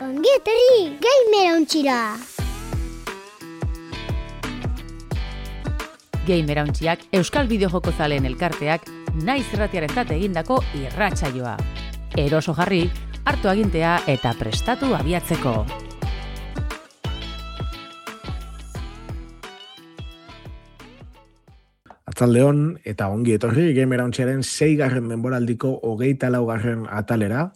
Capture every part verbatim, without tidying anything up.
Ongi etorri Gamerauntxira. Gamerauntxiak Euskal Bideojoko zaleen elkarteak naiz irratiarentzat egindako irratsaioa. Eroso jarri, hartu agintea eta prestatu abiatzeko. Atzaldeon eta ongi etorri Gamerauntxiaren seigarren denboraldiko hogeita laugarren atalera.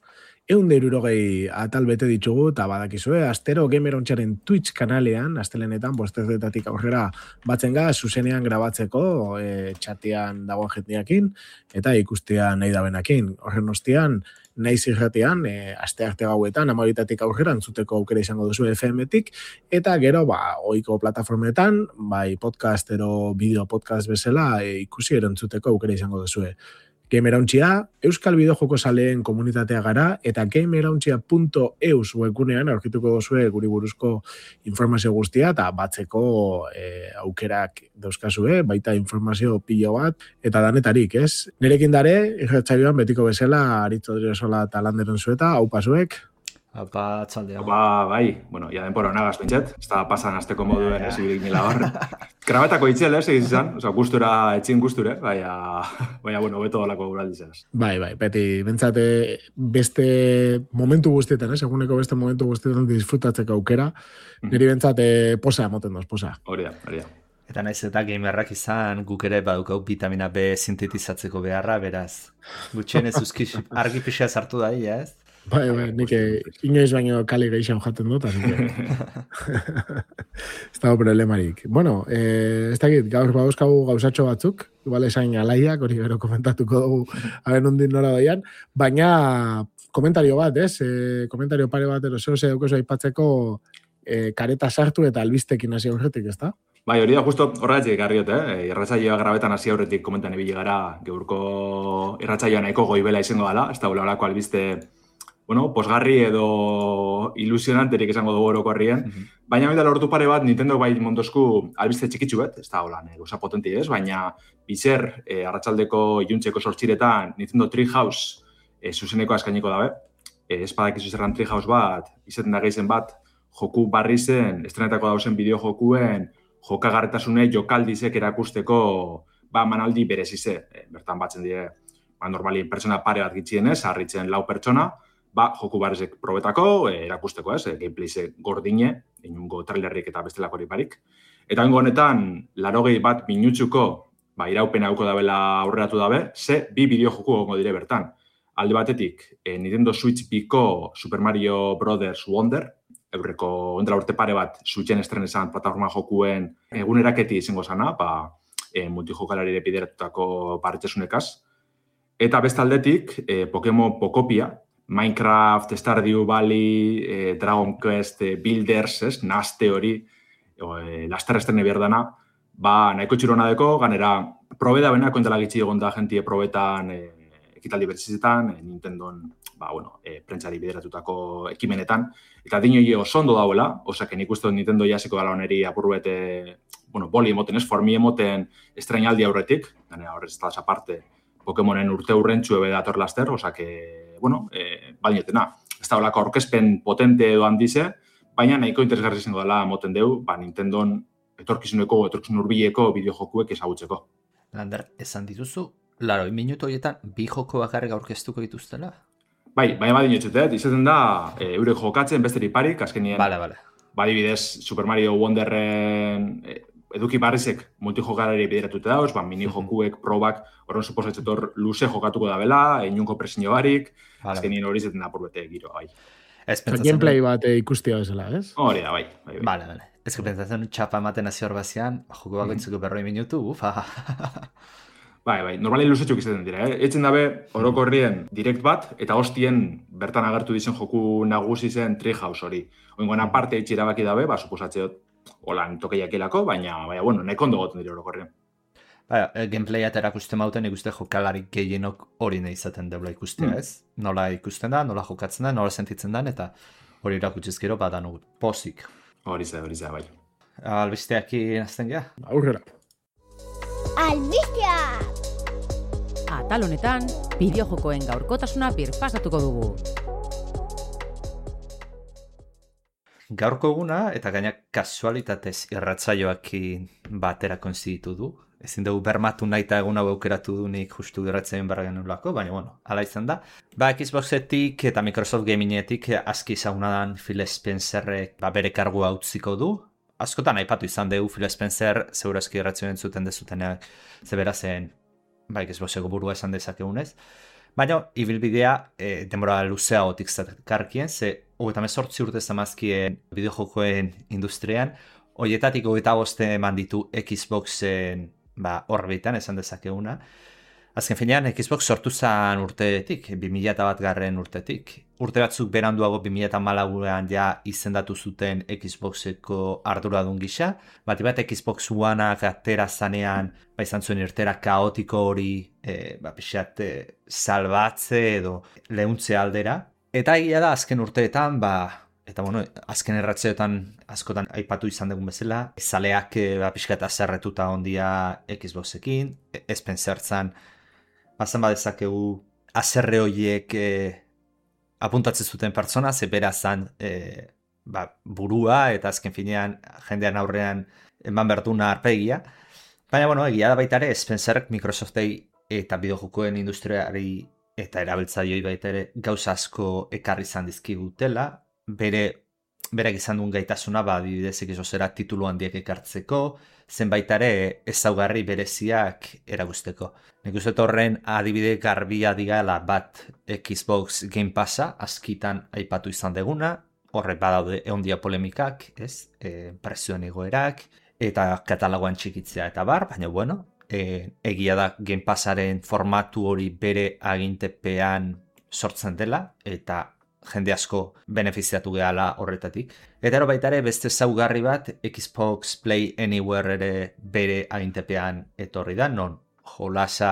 Ehun eta hirurogei atal bete ditugu eta badakizue, astero Gamerauntxiaren Twitch kanalean, astelenetan, bostezetatik aurrera batzen ga, zuzenean grabatzeko, e, txatian dagoen jendeakin, eta ikustea nahi dabenakin. Horren ostean, naiz irratean, e, aste arte gauetan, amabitatik aurrera, entzuteko aukera izango duzu F M-tik, eta gero, ba, ohiko plataformetan, bai podcast ero bideo podcast bezala, e, ikusi erantzuteko aukera izango duzu. Gamerauntxia, Euskal Bideojoko zaleen komunitatea gara, eta gamerauntxia punto eus webgunean aurkituko duzue guri buruzko informazio guztia, eta batzeko e, aukerak dauzkazue, baita informazio pilo bat, eta danetarik, ez? Nerekin dare, irratsaioan betiko bezala, Aritz Odriozola eta Landeren zueta, hau pasuek? Apa, txaldea. Ba, bai, bueno, ya denpora nagaz pentset, ez da pasan azteko moduen ez ibirik nila hor. Grabetako itxel, ez, egiz izan, oza, gustura, etxin gusture, baina, baina, bueno, beto dolako guraldizaz. Bai, bai, beti, bentsate beste momentu guztietan, ez, eguneko beste momentu guztietan disfrutatzeko aukera, niri bentsate posa emoten doz, posa. Hori da, hori da. Eta naiz eta gamerrak izan, guk ere badukau vitamina B sintetizatzeko beharra, beraz. Gutxien ez uzkiz argi pixea sartu da, ia, ez? Bai, bai, nik inoiz baino kali geixan jaten dut, así que ez dago problemarik. Bueno, eh, ez dakit, gaur bauzkagu gauzatxo batzuk, igual esain alaiak, hori gero komentatuko dugu haren ondin nora doian, baina komentario bat, ez? Eh, komentario pare bat, ero zeo ze daukozu aipatzeko eh, kareta sartu eta albistekin hasi aurretik, ez da? Bai, hori da, justo horretik garriot, eh? Irratsaioa grabetan hasi aurretik komentan ibili gara, geurko irratsaioa nahiko goibela izango dela, ez da olako albiste, bueno, posgarri edo ilusionanterik esango dugu orokorrien, mm-hmm. baina baita lortu pare bat Nintendo bai mondosku albiste txikitsu bat, ez da holan, goza potenti ez, baina bizer, e, arratsaldeko iluntzeko sortxiretan Nintendo Treehouse e, zuzeneko eskainiko dabe, e, ez badakizu zerran Treehouse bat, izaten da geizen bat, joku barri zen, estrenetako dauzen bideojokuen, jokagarretasune jokaldizek erakusteko, ba, manaldi berezize, e, bertan batzen dire, ba, normali pertsona pare bat gitxienez, harritzen lau pertsona, ba, joku barrizek probetako, e, erakusteko ez, e, gameplayze gordine, inungo trailerrik eta bestelakorik barik. Eta hengo honetan, larogei bat minutsuko, ba, iraupen hauko dabela aurreratu dabe, ze bi bideo joku gongo dire bertan. Alde batetik, e, Nintendo Switch Biko Super Mario Brothers Wonder, eurreko ondra urte pare bat Switchen estrenesan plataforma jokuen eguneraketi izango zana, ba, e, multijokalarire bideratutako barretxesunekaz. Eta beste aldetik, e, Pokemon Pokopia, Minecraft, Stardew Valley, eh, Dragon Quest, eh, Builders, ez, naste hori, eh, laster estrene berdana, ba, nahiko txirona deko, ganera, probeda bena, kontela gitxi egon da jentie probetan, eh, ekitaldi bertzizetan, eh, Nintendon, ba, bueno, eh, prentsari bideratutako ekimenetan, eta dino oso ondo dauela, osake nik uste Nintendo jasiko gala oneri apurbete, bueno, boli emoten ez, formi emoten estrenaldi aurretik, ganera horrez ez da aparte, Pokemonen urte urrentxu ebe dator laster, osake, bueno, eh, bainetena. Ez da holako aurkezpen potente edo handize, baina nahiko interesgarri izango dela moten deu, ba, Nintendon etorkizuneko, etorkizun urbileko bideojokuek ezagutzeko. Lander, esan dituzu, laroi minutu horietan bi joko bakarrik aurkeztuko dituztela? Bai, baina badin etxutet, izaten da, e, eurek jokatzen besterik parik, azkenien, vale, vale. Badibidez, Super Mario Wonderren e, eduki barrizek multijokalari bideratuta dauz, ba, mini jokuek, probak, horren suposatzetor luze jokatuko da bela, inunko presinio barik, vale. Azkenien hori zeten da purbete giro, bai. Gameplay bat ikustia bezala, ez? Hori da, bai. bai, bai. Vale, vale. Ez que pentsatzen txapa ematen hasi hor bazian, joko bakoitzuko mm-hmm. berroi minutu, ufa. Bai, bai, normali luzetxuk izaten dira, eh? Etzen dabe, orokorrien direkt bat, eta hostien bertan agertu dizen joku nagusi zen Treehouse hori. Oingoan aparte itxira baki dabe, ba, suposatzeot, holan tokeiakelako, baina, baina, bueno, nahi kondo goten dira orokorrien. Baina, gameplayat erakusten mauten ikuste jokalarik gehienok hori nahi izaten deula ikustea, mm. ez? Nola ikusten da, nola jokatzen da, nola sentitzen da, eta hori erakutzizkero badan pozik. Hori za, hori za, bai. Albisteaki nazten gea? Aurrera. Albisteak! Atal honetan, bideojokoen gaurkotasuna birpasatuko dugu. gaurko eguna, eta gainak kasualitatez irratzaioakin batera konziditu du. Ezin dugu bermatu nahi eta egun hau aukeratu du nik justu gerratzen barra genulako, baina bueno, ala izan da. Ba, Xboxetik eta Microsoft Gamingetik aski zaunadan Phil Spencerrek ba, bere kargua utziko du. Askotan aipatu izan dugu Phil Spencer, segurazki erratzen entzuten dezutenak zebera zen, ba, Xboxeko burua esan dezakegunez. Baina, ibilbidea e, denbora luzea gotik zakarkien, ze hogeita mezortzi urte zamazkien bideojokoen industrian, hoietatik hogeita boste eman ditu Xboxen ba, orbitan, esan dezakeguna. Azken finean, Xbox sortu zen urtetik, bi mila bat garren urtetik. Urte batzuk beranduago bi mila hamalauan ja izendatu zuten Xboxeko arduradun gisa. Bati bat Xbox Oneak atera zanean, ba, izan zuen irtera kaotiko hori, e, ba, pixat, e, salbatze edo lehuntze aldera. Eta egia da, azken urteetan, ba, eta bueno, azken erratzeetan askotan aipatu izan dugun bezala, zaleak ba, pixkat azerretuta ondia Xboxekin, Spencertzan, bazan badezakegu azerre horiek e, apuntatzen zuten pertsona, ze berazan e, ba, burua eta azken finean jendean aurrean eman berduna arpegia. Baina, bueno, egia da baita ere, Spencerrek Microsoftei eta bideojokoen industriari eta erabiltzaileei baita ere gauza asko ekarri izan dizkigutela, bere berak izan duen gaitasuna, ba, adibidez Xboxera titulu handiek ekartzeko, zenbait ere ezaugarri bereziak eragusteko. Nik uste horren adibide garbia digala bat Xbox Game Passa, askitan aipatu izan deguna, horre badaude eondia polemikak, ez, e, prezioen egoerak, eta katalogoan txikitzea eta bar, baina bueno, e, egia da Game Passaren formatu hori bere agintepean sortzen dela, eta jende asko benefiziatu gehala horretatik. Eta ero baita ere beste zaugarri bat Xbox Play Anywhere ere bere agintepean etorri da, non jolasa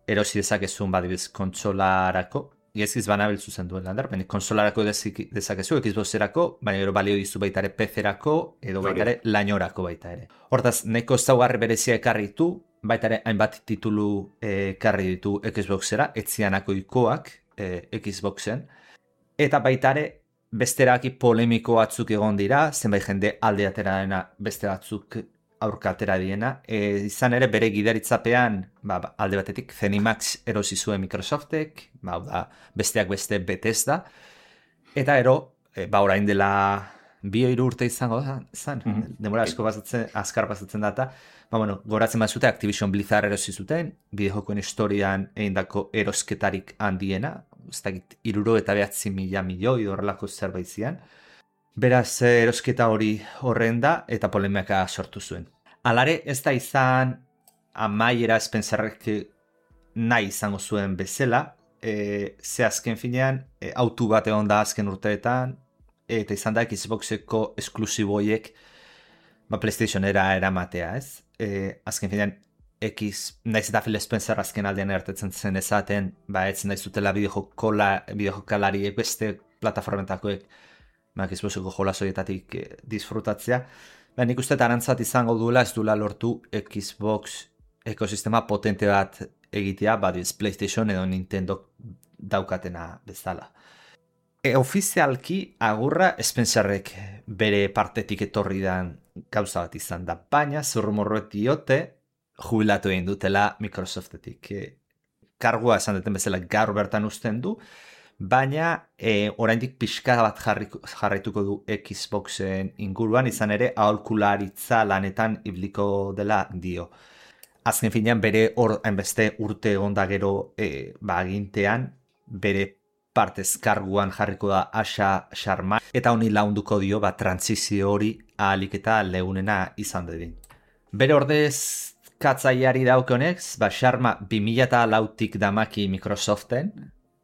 erosi dezakezun badibiz kontsolarako, gezkiz banabiltzu zen duen landar, baina konsolarako dezakezu, Xboxerako, baina gero balio dizu baita ere P C-erako, edo baita ere lainorako baita ere. Hortaz, neko zaugarri berezia ekarri ditu, baita ere hainbat titulu ekarri ditu Xboxera, etzianako ikoak e, Xboxen, eta baita ere beste erabaki polemiko batzuk egon dira, zenbait jende alde atera dena beste batzuk aurka atera diena. E, izan ere bere gidaritzapean ba, alde batetik Zenimax erosi zuen Microsoftek, ba, da, besteak beste Bethesda, eta ero, e, ba orain dela bi hiru urte izango da, zan, mm-hmm. demora asko bazatzen, azkar pasatzen data, ba, bueno, goratzen bat zute Activision Blizzard erosi zuten, bideojokoen historian egindako erosketarik handiena, ez dakit, iruro eta behatzi mila milioi horrelako zerbait zian. Beraz, erosketa hori horren da eta polemika sortu zuen. Alare, ez da izan amaiera Spencerrek nahi izango zuen bezala, e, ze azken finean, e, autu bat egon da azken urteetan, eta izan da Xboxeko esklusiboiek ba, PlayStationera eramatea, ez? E, azken finean, X, naiz eta Phil Spencer azken aldean ertetzen zen ezaten, ba, ez nahi zutela bideojokalariek beste plataformetakoek ba, Xboxeko jolasoietatik eh, disfrutatzea. Ba, nik uste arantzat izango duela ez duela lortu Xbox ekosistema potente bat egitea, ba, diz PlayStation edo Nintendo daukatena bezala. E, ofizialki agurra Spencerrek bere partetik etorri dan gauza bat izan da, baina zurrumorroet diote jubilatu egin dutela Microsoftetik. E, kargua esan duten bezala gaur bertan uzten du, baina e, oraindik pixka bat jarriko, jarraituko du Xboxen inguruan, izan ere aholkularitza lanetan ibliko dela dio. Azken finean bere hor hainbeste urte onda gero e, ba, agintean, bere partez karguan jarriko da Asha Sharma, eta honi launduko dio ba, transizio hori ahalik eta leunena izan dedin. Bere ordez katzaiari daukionez, ba, Sharma bi mila lautik damaki Microsoften,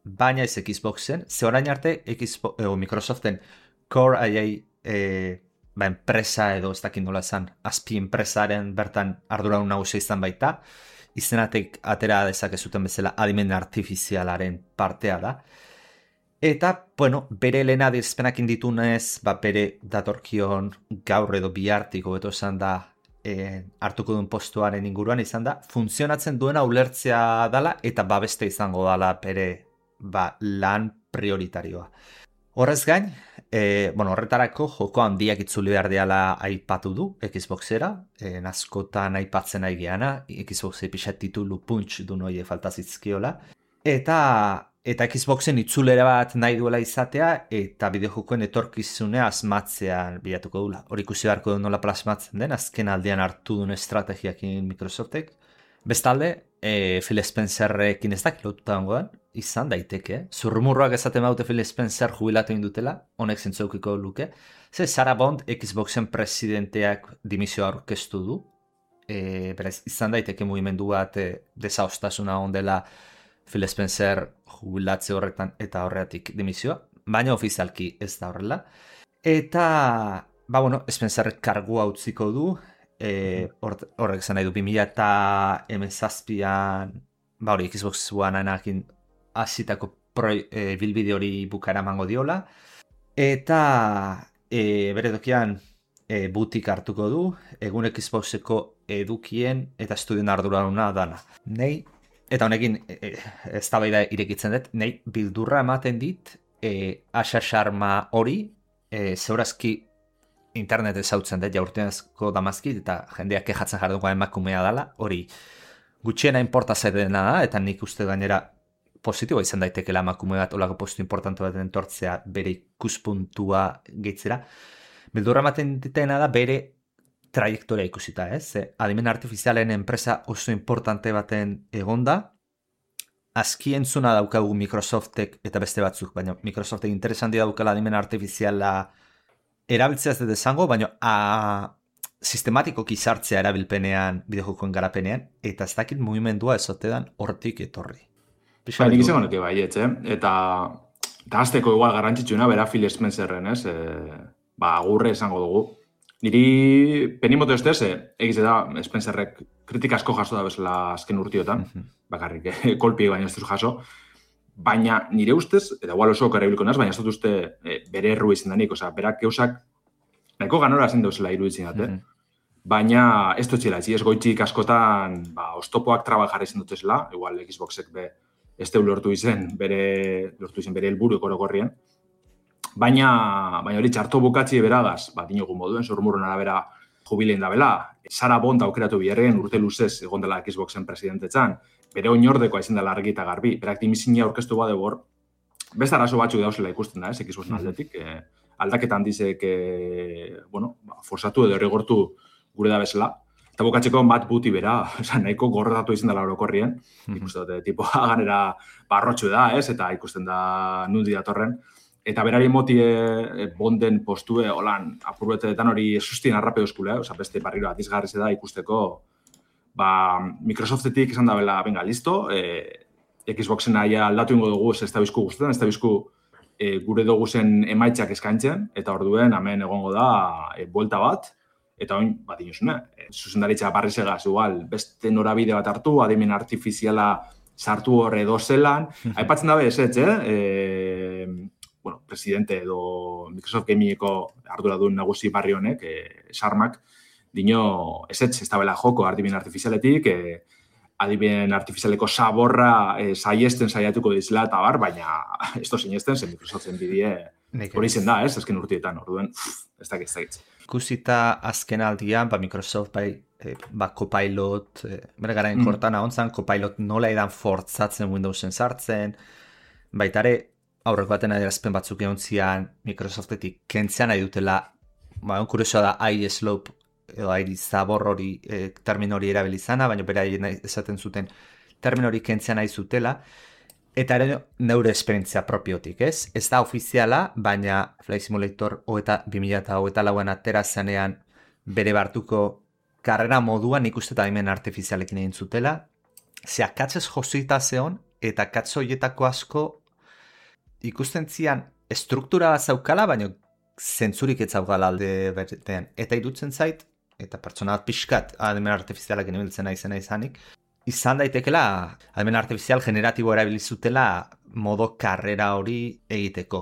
baina ez Xboxen, ze orain arte Xbox, eh, Microsoften Core A I eh, ba, enpresa edo ez dakit nola esan, azpi enpresaren bertan arduradun nagusia izan baita, izenatek atera dezakezuten bezala adimen artifizialaren partea da. Eta, bueno, bere lehena adierazpenak ditunez, ba, bere datorkion gaur edo bihartik hobeto esan da, E, hartuko duen postuaren inguruan izan da, funtzionatzen duena ulertzea dala eta babeste izango dala bere ba, lan prioritarioa. Horrez gain, e, bueno, horretarako joko handiak itzuli behar diala aipatu du Xboxera, e, askotan aipatzen nahi geana, Xboxei pixat titulu punch du noie faltazizkiola, eta eta Xboxen itzulera bat nahi duela izatea, eta bideojokoen etorkizunea asmatzean bilatuko dula. Hor ikusi beharko du nola plasmatzen den, azken aldean hartu duen estrategiakin Microsoftek. Bestalde, e, Phil Spencerrekin ez dakit lotuta dagoen, izan daiteke. Zurrumurroak esaten baute Phil Spencer jubilatu indutela, honek zentzaukiko luke. Ze Sarah Bond Xboxen presidenteak dimisio aurkeztu du. E, beraz, izan daiteke mugimendu bat e, desaostasuna ondela Phil Spencer jubilatze horretan eta horretik dimisioa, baina ofizialki ez da horrela. Eta, ba bueno, Spencer kargua utziko du, e, horrek zan nahi du, bi mila hamazazpian, ba hori, Xbox One-anekin hasitako e, bilbide hori bukara emango diola, eta e, bere dokian e, butik hartuko du, egun Xboxeko edukien eta estudien arduraduna dana. Nei, eta honekin e, ez da baida irekitzen dut, nei bildurra ematen dit, e, Asha Sharma hori, e, zeurazki internet ezautzen dut, jaurtenazko damazkit, eta jendeak kejatzen jarduko emakumea dela, hori gutxiena inporta zaidena da, eta nik uste gainera positiboa izan daitekela emakume bat olako postu importante bat entortzea bere ikuspuntua gehitzera. Bildurra ematen ditena da bere trajektoria ikusita, ez? Adimen artifizialen enpresa oso importante baten egonda, azki entzuna daukagu Microsoftek eta beste batzuk, baina Microsoftek interesanti daukala adimen artifiziala erabiltzea ez dut esango, baina a, sistematikoki sartzea erabilpenean, bideojokoen garapenean, eta ez dakit mugimendua ezotedan hortik etorri. Ba, nik izango nuke baietz, eh? Eta, eta azteko igual garrantzitsuna, bera Phil Spencerren, ez? E, ba, agurre esango dugu. Niri penimoto ez dez, egiz da Spencerrek kritika asko jaso da bezala azken urtiotan, mm-hmm. bakarrik eh, kolpi baina ez duz jaso, baina nire ustez, eta igual oso karabiliko naz, baina ez dut uste eh, bere erru izan denik, oza, berak eusak nahiko ganora zen dauzela iruditzen dut, mm-hmm. baina ez dut zela, ez goitzik askotan ba, ostopoak traba jarri zen dutezela, igual Xboxek be, ez deu lortu izen bere, lortu izen bere helburu korogorrien, baina, baina hori txarto bukatzi beragaz, bat inogun moduen, zormurron arabera jubilein da bela, Sarah Bond aukeratu biherren urte luzez egon dela Xboxen presidentetzan, bere oinordekoa izan dela argi eta garbi, berak dimizina aurkeztu bade hor, beste arazo batzuk dauzela ikusten da, ez, Xboxen aldetik, eh, aldaketan dizek, eh, bueno, ba, forsatu edo errigortu gure da bezala, eta bukatzeko bat buti bera, esan, nahiko gorretatu izan dela orokorrien, mm-hmm. ikusten dute, tipoa ganera barrotxu da, ez, eta ikusten da nundi datorren, eta berari moti e, Bonden postue, holan, apurbetetan hori sustien arrape euskule, oza, beste barriro atizgarri da ikusteko, ba, Microsoftetik esan da bela, venga, listo, e, Xboxen aia aldatu ingo dugu, ez da bizku guztetan, ez da bizku e, gure dugu zen emaitzak eskaintzen, eta orduen hemen egongo da e, buelta bat, eta oin, bat inozune, e, zuzendaritza barrizegaz, igual, beste norabide bat hartu, adimen artifiziala sartu horre dozelan, aipatzen dabe ez ez, eh? E, bueno, presidente edo Microsoft Gamingeko arduradun nagusi barri honek, eh, Sarmak, dino, ez ez, ez da bela joko adimen artifizialetik, eh, adimen artifizialeko saborra eh, saiesten saiatuko dizela eta bar, baina ez do sinesten, zen Microsoften bidie hori zen da, ez, azken urtietan, orduen, ez dakit, ez dakit. Ikusita azken aldian, ba, Microsoft bai, eh, ba, Copilot, eh, bere garaen mm. kortan ahontzan, Copilot nola edan fortzatzen Windowsen sartzen, baitare, aurreko baten adierazpen batzuk egon zian Microsoftetik kentzean nahi dutela, ba, kuriosoa da aire slope edo aire zabor hori e, termin hori erabilizana, baina bera esaten zuten termin hori kentzean nahi zutela, eta ere neure esperientzia propiotik, ez? Ez da ofiziala, baina Flight Simulator hogeita bi mila hogeita lauan atera zanean bere bartuko karrera moduan ikuste eta adimen artifizialekin egin zutela, ze akatzez josita zeon, eta akatz horietako asko ikusten zian struktura bat zaukala, baina zentzurik ez zaukala alde bertean. Eta irutzen zait, eta pertsona bat pixkat adimen artifizialak enibiltzen naizena izanik, izan daitekela adimen artifizial generatibo erabilizutela modo karrera hori egiteko.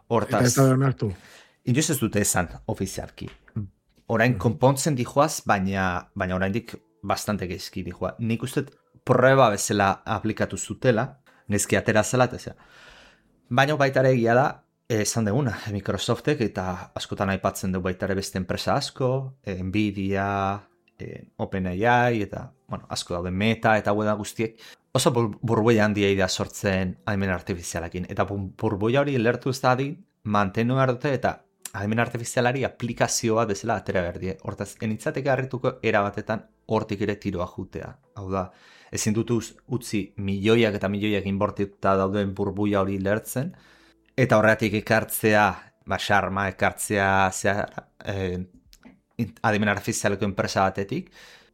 Hortaz, eta ez da onartu. Inoiz ez dute esan ofizialki. Orain konpontzen dijoaz, baina, baina oraindik bastante gezki dijoa. Nik uste prueba bezala aplikatu zutela, nezki atera zela, eta zera. Baina baita ere egia da, esan deguna, Microsoftek eta askotan aipatzen du baita ere beste enpresa asko, Nvidia, e, OpenAI eta, bueno, asko daude Meta eta web guztiek, oso bur burbuia handia idea sortzen adimen artifizialakin. Eta burbuia hori lertu ez da adin, mantenu behar dute eta adimen artifizialari aplikazioa bezala atera behar die. Hortaz, enitzateke harrituko erabatetan hortik ere tiroa jutea. Hau da, ezin dut utzi milioiak eta milioiak inbortituta dauden burbuia hori lertzen, eta horretik ekartzea, ba, xarma ekartzea zea, eh, adimen artifizialeko enpresa batetik,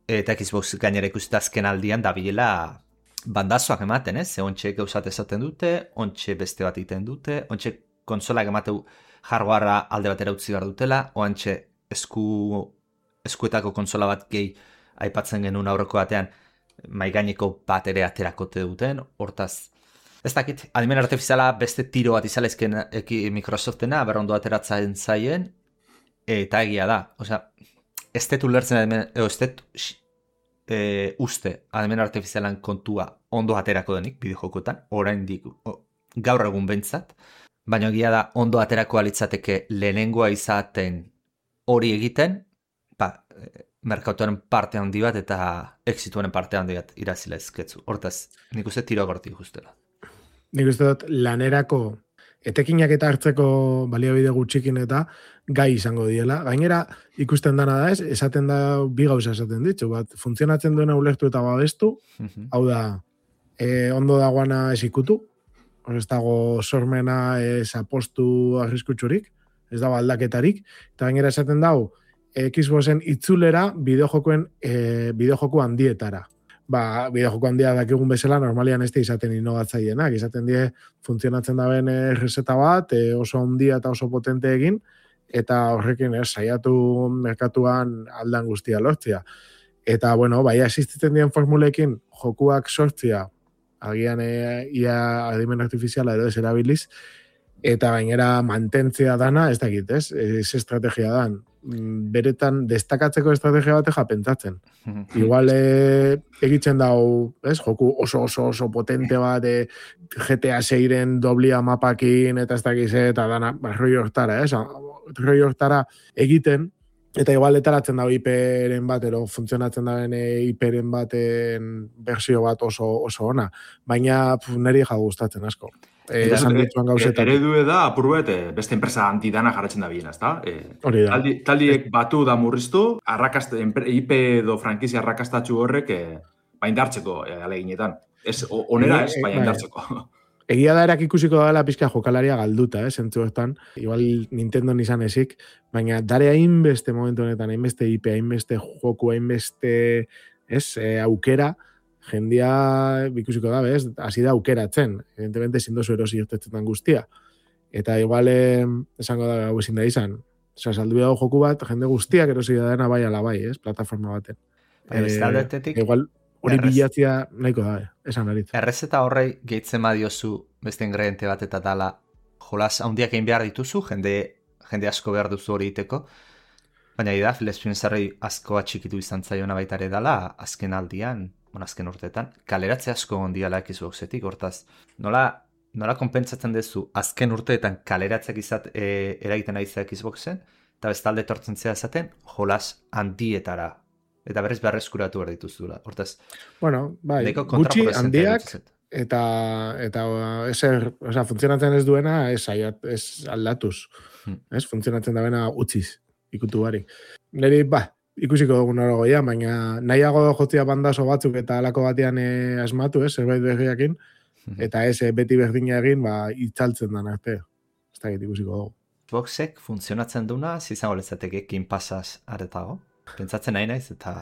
eta Xbox gainera ikusita azken aldian dabilela bandazoak ematen, ez? Ze ontxe gauzat esaten dute, ontxe beste bat egiten dute, ontxe konsolak emateu hardwarea alde batera utzi behar dutela, oantxe esku, eskuetako konsola bat gehi aipatzen genuen aurreko batean maigaineko bat ere aterakote duten, hortaz, ez dakit, adimen artifiziala beste tiro bat izalezken Microsoftena, berrondo ateratzen zaien, eta egia da, osea, ez detu lertzen, ez detu e, uste adimen artifizialan kontua ondo aterako denik, bideojokoetan, orain dik, gaur egun behintzat, baina egia da ondo aterako alitzateke lehenengoa izaten hori egiten, ba, merkatuaren parte handi bat eta exituaren parte handi bat irazila ezketzu. Hortaz, nik uste tiro gorti justela. Nik uste dut lanerako etekinak eta hartzeko baliabide gutxikin eta gai izango diela. Gainera, ikusten dana da ez, esaten da bi gauza esaten ditzu, bat, funtzionatzen duena ulertu eta babestu, uh-huh. Hau da, e, ondo dagoana ez ikutu, ez dago sormena ez apostu arriskutsurik, ez dago aldaketarik, eta gainera esaten dago, Xboxen itzulera bideojokoen e, bideojoko handietara. Ba, bideojoko handia dakigun bezala normalian ez da izaten inovatzaienak, izaten die funtzionatzen daben errezeta bat, e, oso handia eta oso potente egin, eta horrekin ez, saiatu merkatuan aldan guztia lortzia. Eta, bueno, bai, existitzen dien formulekin jokuak sortzia, agian e, ia adimen artifiziala edo ez erabiliz, eta gainera mantentzea dana, ez dakit, ez? Ez estrategia dan. Beretan destakatzeko estrategia bateja pentsatzen. Igual e, egitzen dau, ez? Joku oso oso oso potente bat, e, G T A seiren doblia mapakin, eta ez dakiz, eta dana, ba, roi hortara, ez? Roi hortara egiten, eta igual etaratzen dago I P-ren bat, ero funtzionatzen daben I P-ren baten bersio bat oso, oso ona. Baina pf, niri ja gustatzen asko. E, esan dituan gauzetan. Eredu da, apurruet, beste enpresa antidana jarratzen da bien, ezta? E, Hori da. Taldi, taldiek batu da murriztu, arrakast, I P edo frankizia arrakastatxu horrek e, baindartzeko e, aleginetan. Ez, onera ez, baindartzeko. Egia da erak ikusiko dela pizka jokalaria galduta, eh, zentzu hortan. Igual Nintendo izan ezik, baina dare hainbeste momentu honetan, hainbeste I P, hainbeste joku, hainbeste ez, e, aukera, jendia ikusiko da, ez, hasi da aukeratzen. Evidentemente, zindozu erosi irtetzetan guztia. Eta igual, eh, esango da, hau ezin da izan. Osa, saldu dago joku bat, jende guztiak erosi da dena bai ala bai, ez, plataforma baten. Eh, igual, hori bilatzia nahiko da, esan aritz. Errezeta horrei gehitzen badiozu beste ingrediente bat eta dala jolas handiak egin behar dituzu, jende, jende asko behar duzu hori iteko, baina da, Phil Spencerrei asko atxikitu izan zaiona baita ere dala, azken aldian, bueno, azken urteetan, kaleratze asko ondiala Xboxetik, hortaz, nola, nola konpentsatzen duzu azken urteetan kaleratzeak izat e, eragiten aiza Xboxen, eta bestalde tortzen zea esaten, jolas handietara. Eta berriz beharrezkuratu behar dituzula. Hortaz, bueno, bai, gutxi handiak, eta, eta eser, oza, funtzionatzen ez duena, ez, ez aldatuz. Hmm. Ez, funtzionatzen da bena utziz, ikutu barik. Neri, ba, ikusiko dugun hori goia, baina nahiago jotzia bandazo batzuk eta alako batean e, asmatu, ez, zerbait berriakin, hmm. eta ez, beti berdina egin, ba, itzaltzen dan arte. Ez da ikusiko dugu. Xboxek funtzionatzen duna, zizango lezateke, kin pasaz aretago? Pentsatzen nahi naiz, eta...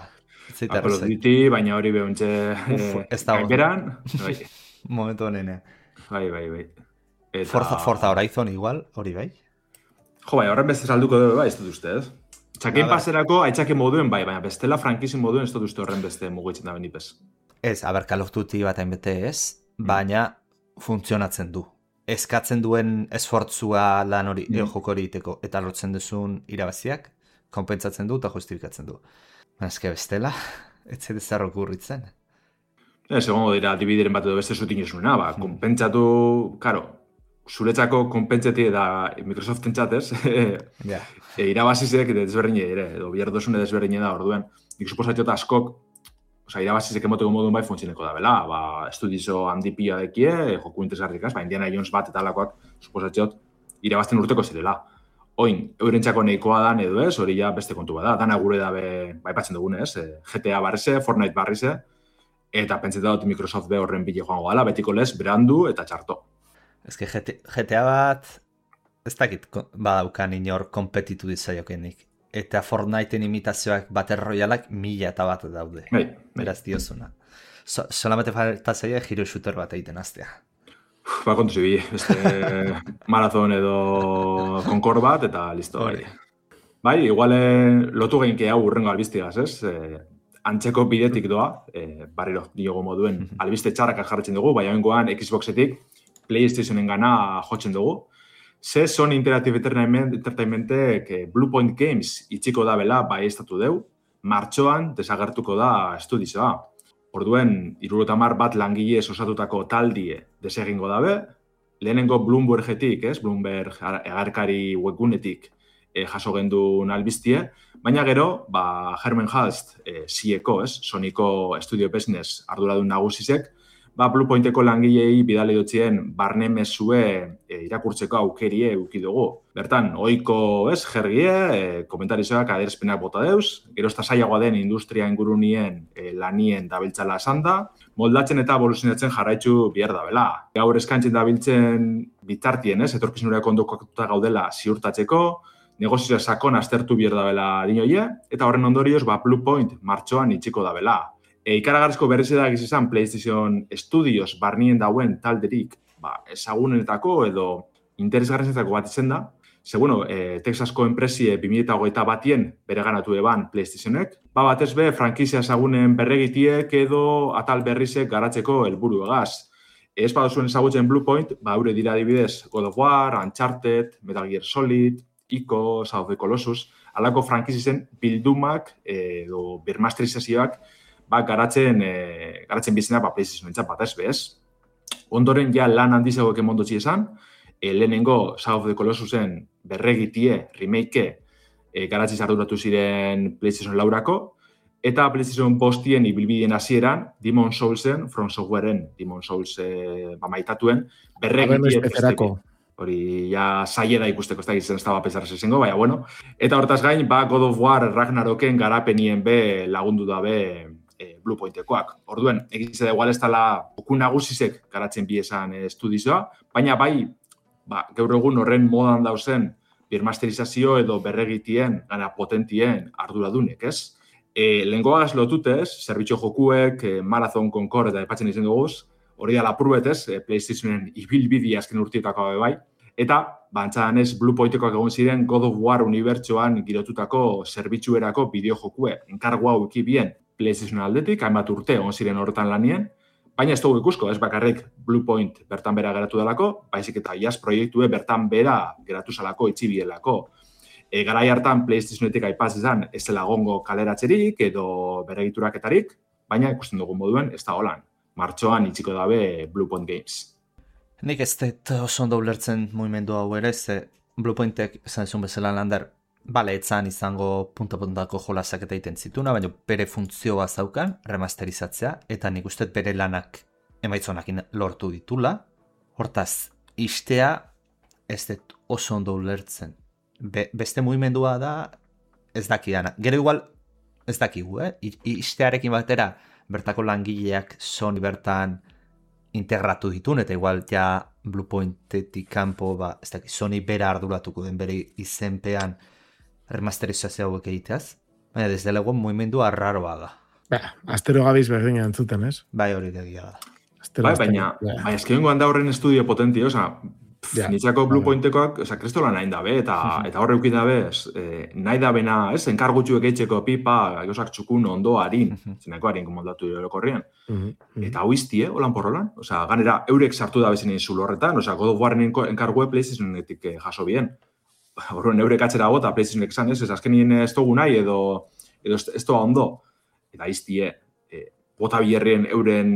Apoloditi, baina hori behuntze... Ez da gaiberan. Bai. Momentu honene. Bai, bai, bai. Eta... Forza, Forza Horizon igual, hori bai? Jo, bai, horren beste salduko dugu, bai, ez dut uste, ez? Txakein paserako, aitzake moduen, bai, baina bestela frankizin moduen ez dut uste horren beste mugitzen da benipez. Ez, aber, Call of Duty bat hainbete ez, baina funtzionatzen du. Eskatzen duen esfortzua lan hori, mm. joko hori iteko, eta lortzen duzun irabaziak, konpentsatzen du eta justifikatzen du. Ezke bestela, ez zede zerro kurritzen. Ez, egongo dira, dibideren bat edo beste zutin esuna, ba, konpentsatu, karo, zuretzako konpentseti eta Microsoften txatez, yeah. e, irabazizek desberdine ere, edo bihardosune desberdine da, orduen. Nik suposatxot askok, oza, irabazizek emoteko modun bai funtzineko da, bela, ba, estudizo handi pila dekie, joku interesgarrikaz, ba, Indiana Jones bat eta alakoak, suposatxot, irabazten urteko zirela. Oin, eurentzako nahikoa dan edo ez, hori ja beste kontu bada, dana gure dabe, bai patzen dugunez, G T A barrize, Fortnite barrize, eta pentseta dut Microsoft be horren bile joango gala, betiko lez, berandu eta txarto. Ez que G T A bat, ez dakit badaukan inor kompetitu ditzaiokenik. Eta Fortniteen imitazioak Battle Royaleak mila eta bat daude. Bai, beraz diozuna. So, solamente falta zaila hero shooter bat egiten aztea. Ba, kontu zibi, beste maraton edo konkor bat, eta listo. Bai, bai igual lotu geinke hau urrengo albiztigaz, ez? Eh, antzeko bidetik doa, eh, barriro, diogo moduen, albiste txarrak jarretzen dugu, bai haingoan Xboxetik, PlayStationen gana jotzen dugu. Ze Sony Interactive Entertainmentek Bluepoint Games itxiko da bela bai estatu deu, martxoan desagertuko da estudioa. Orduen, hirurogeita hamar bat langilez osatutako taldie desegingo dabe, lehenengo Bloombergetik, ez? Bloomberg agarkari webgunetik e, jaso gendun albiztie, baina gero, ba, Herman Hulst, e, C E ko, ez? Sonyko Studio Business arduradun nagusizek, ba, Bluepointeko langilei bidale dotzien barne mezue e, irakurtzeko aukerie euki dugu. Bertan, ohiko ez, jergie, e, komentarizoak aderzpenak bota deuz, gero ez zailagoa den industria ingurunien e, lanien dabiltzala esan da, moldatzen eta evoluzionatzen jarraitzu bihar da bela. Gaur eskaintzen dabiltzen bitartien, ez, etorkizunurako ondokatuta gaudela ziurtatzeko, negozioa sakon aztertu bihar da bela dinoie, eta horren ondorioz, ba, Bluepoint martxoan itxiko da bela. E, ikaragarrizko berriz edagiz izan PlayStation Studios barnien dauen talderik ba, ezagunenetako edo interesgarrenetako bat izen da. Ze, bueno, e, Texasko enpresie bi mila hogeita batien bere ganatu eban PlayStationek. Ba, batez be, frankizia ezagunen berregitiek edo atal berrizek garatzeko helburu egaz. Ez baduzuen ezagutzen Bluepoint, ba, eure dira adibidez God of War, Uncharted, Metal Gear Solid, Ico, Shadow of the Colossus, alako frankizien bildumak edo birmasterizazioak ba, garatzen, e, garatzen bizena, ba, PlayStation entzat bat ez bez. Ondoren, ja, lan handizagoek emondotzi esan, e, lehenengo Shadow of the Colossusen berregitie, remake, e, garatziz arduratu ziren PlayStation laurako, eta PlayStation bostien ibilbideen hasieran Demon Soulsen, From Softwareen Demon Souls e, ba, maitatuen, berregitie. Hori, ja, zaila da ikusteko, ez da gizten ez da bapesarrez esengo, baina, bueno. Eta hortaz gain, ba, God of War Ragnaroken garapenien be lagundu dabe E, Bluepointekoak. Orduen, egize da igual ez dela oku nagusizek garatzen bi esan estudioa, baina bai, ba, gaur egun horren modan dauzen birmasterizazio edo berregitien, gana potentien arduradunek, ez? E, Lengoaz lotutez, zerbitxo jokuek, e, Marathon, Concord eta epatzen izan duguz, hori da lapurret, ez? E, PlayStationen ibilbidi azken urtietako bai, eta, bantzadan ez, Bluepointekoak egon ziren God of War unibertsoan girotutako zerbitzuerako bideojokue, enkargu hau ekibien, PlayStation aldetik, hainbat urte on ziren horretan lanien, baina ez dugu ikusko, ez bakarrik Bluepoint bertan bera geratu delako, baizik eta iaz proiektue bertan bera geratu zalako itxibielako. E, garai hartan PlayStationetik aipaz izan ez dela gongo kaleratzerik edo beregituraketarik, baina ikusten dugun moduen ez da holan. Martxoan itxiko dabe Bluepoint Games. Nik ez dut oso ondo ulertzen mugimendu hau ere, ze Bluepointek esan zuen bezala lander, bale, etzan izango punta-puntako jolasak eta egiten zituna, baina bere funtzioa zaukan, remasterizatzea, eta nik uste bere lanak emaitzonakin lortu ditula. Hortaz, istea ez dut oso ondo ulertzen. Be, beste mugimendua da ez dakidana. Gero igual ez dakigu, eh? Istearekin batera bertako langileak Sony bertan integratu ditun, eta igual ja Bluepointetik kanpo, ba, ez dakit, Sony bera arduratuko den bere izenpean remasterizazio hauek egiteaz, baina desde lego mugimendua arraroa da. Ba, astero gabiz berdina entzuten, ez? Bai, hori degia da. Astero, bai, baina, astero, baina eskebengo handa horren estudio potenti, oza, ja, nitzako Bluepointekoak, oza, kristola nahi dabe, eta, eta horre eukin dabe, eh, nahi dabena, ez, enkargutxuek eitxeko pipa, gauzak txukun ondo harin, zinako harin komodatu horrekorrian. Eta hau iztie, holan porrolan, oza, ganera, eurek sartu dabe zinen zulo horretan, oza, God of Warren enkargue PlayStationetik jaso bien. Horren eurek atzera gota, PlayStationek esan, ez, ez azkenien ez dugu nahi, edo, edo ez doa ondo. Eta iztie, e, bota biherrien euren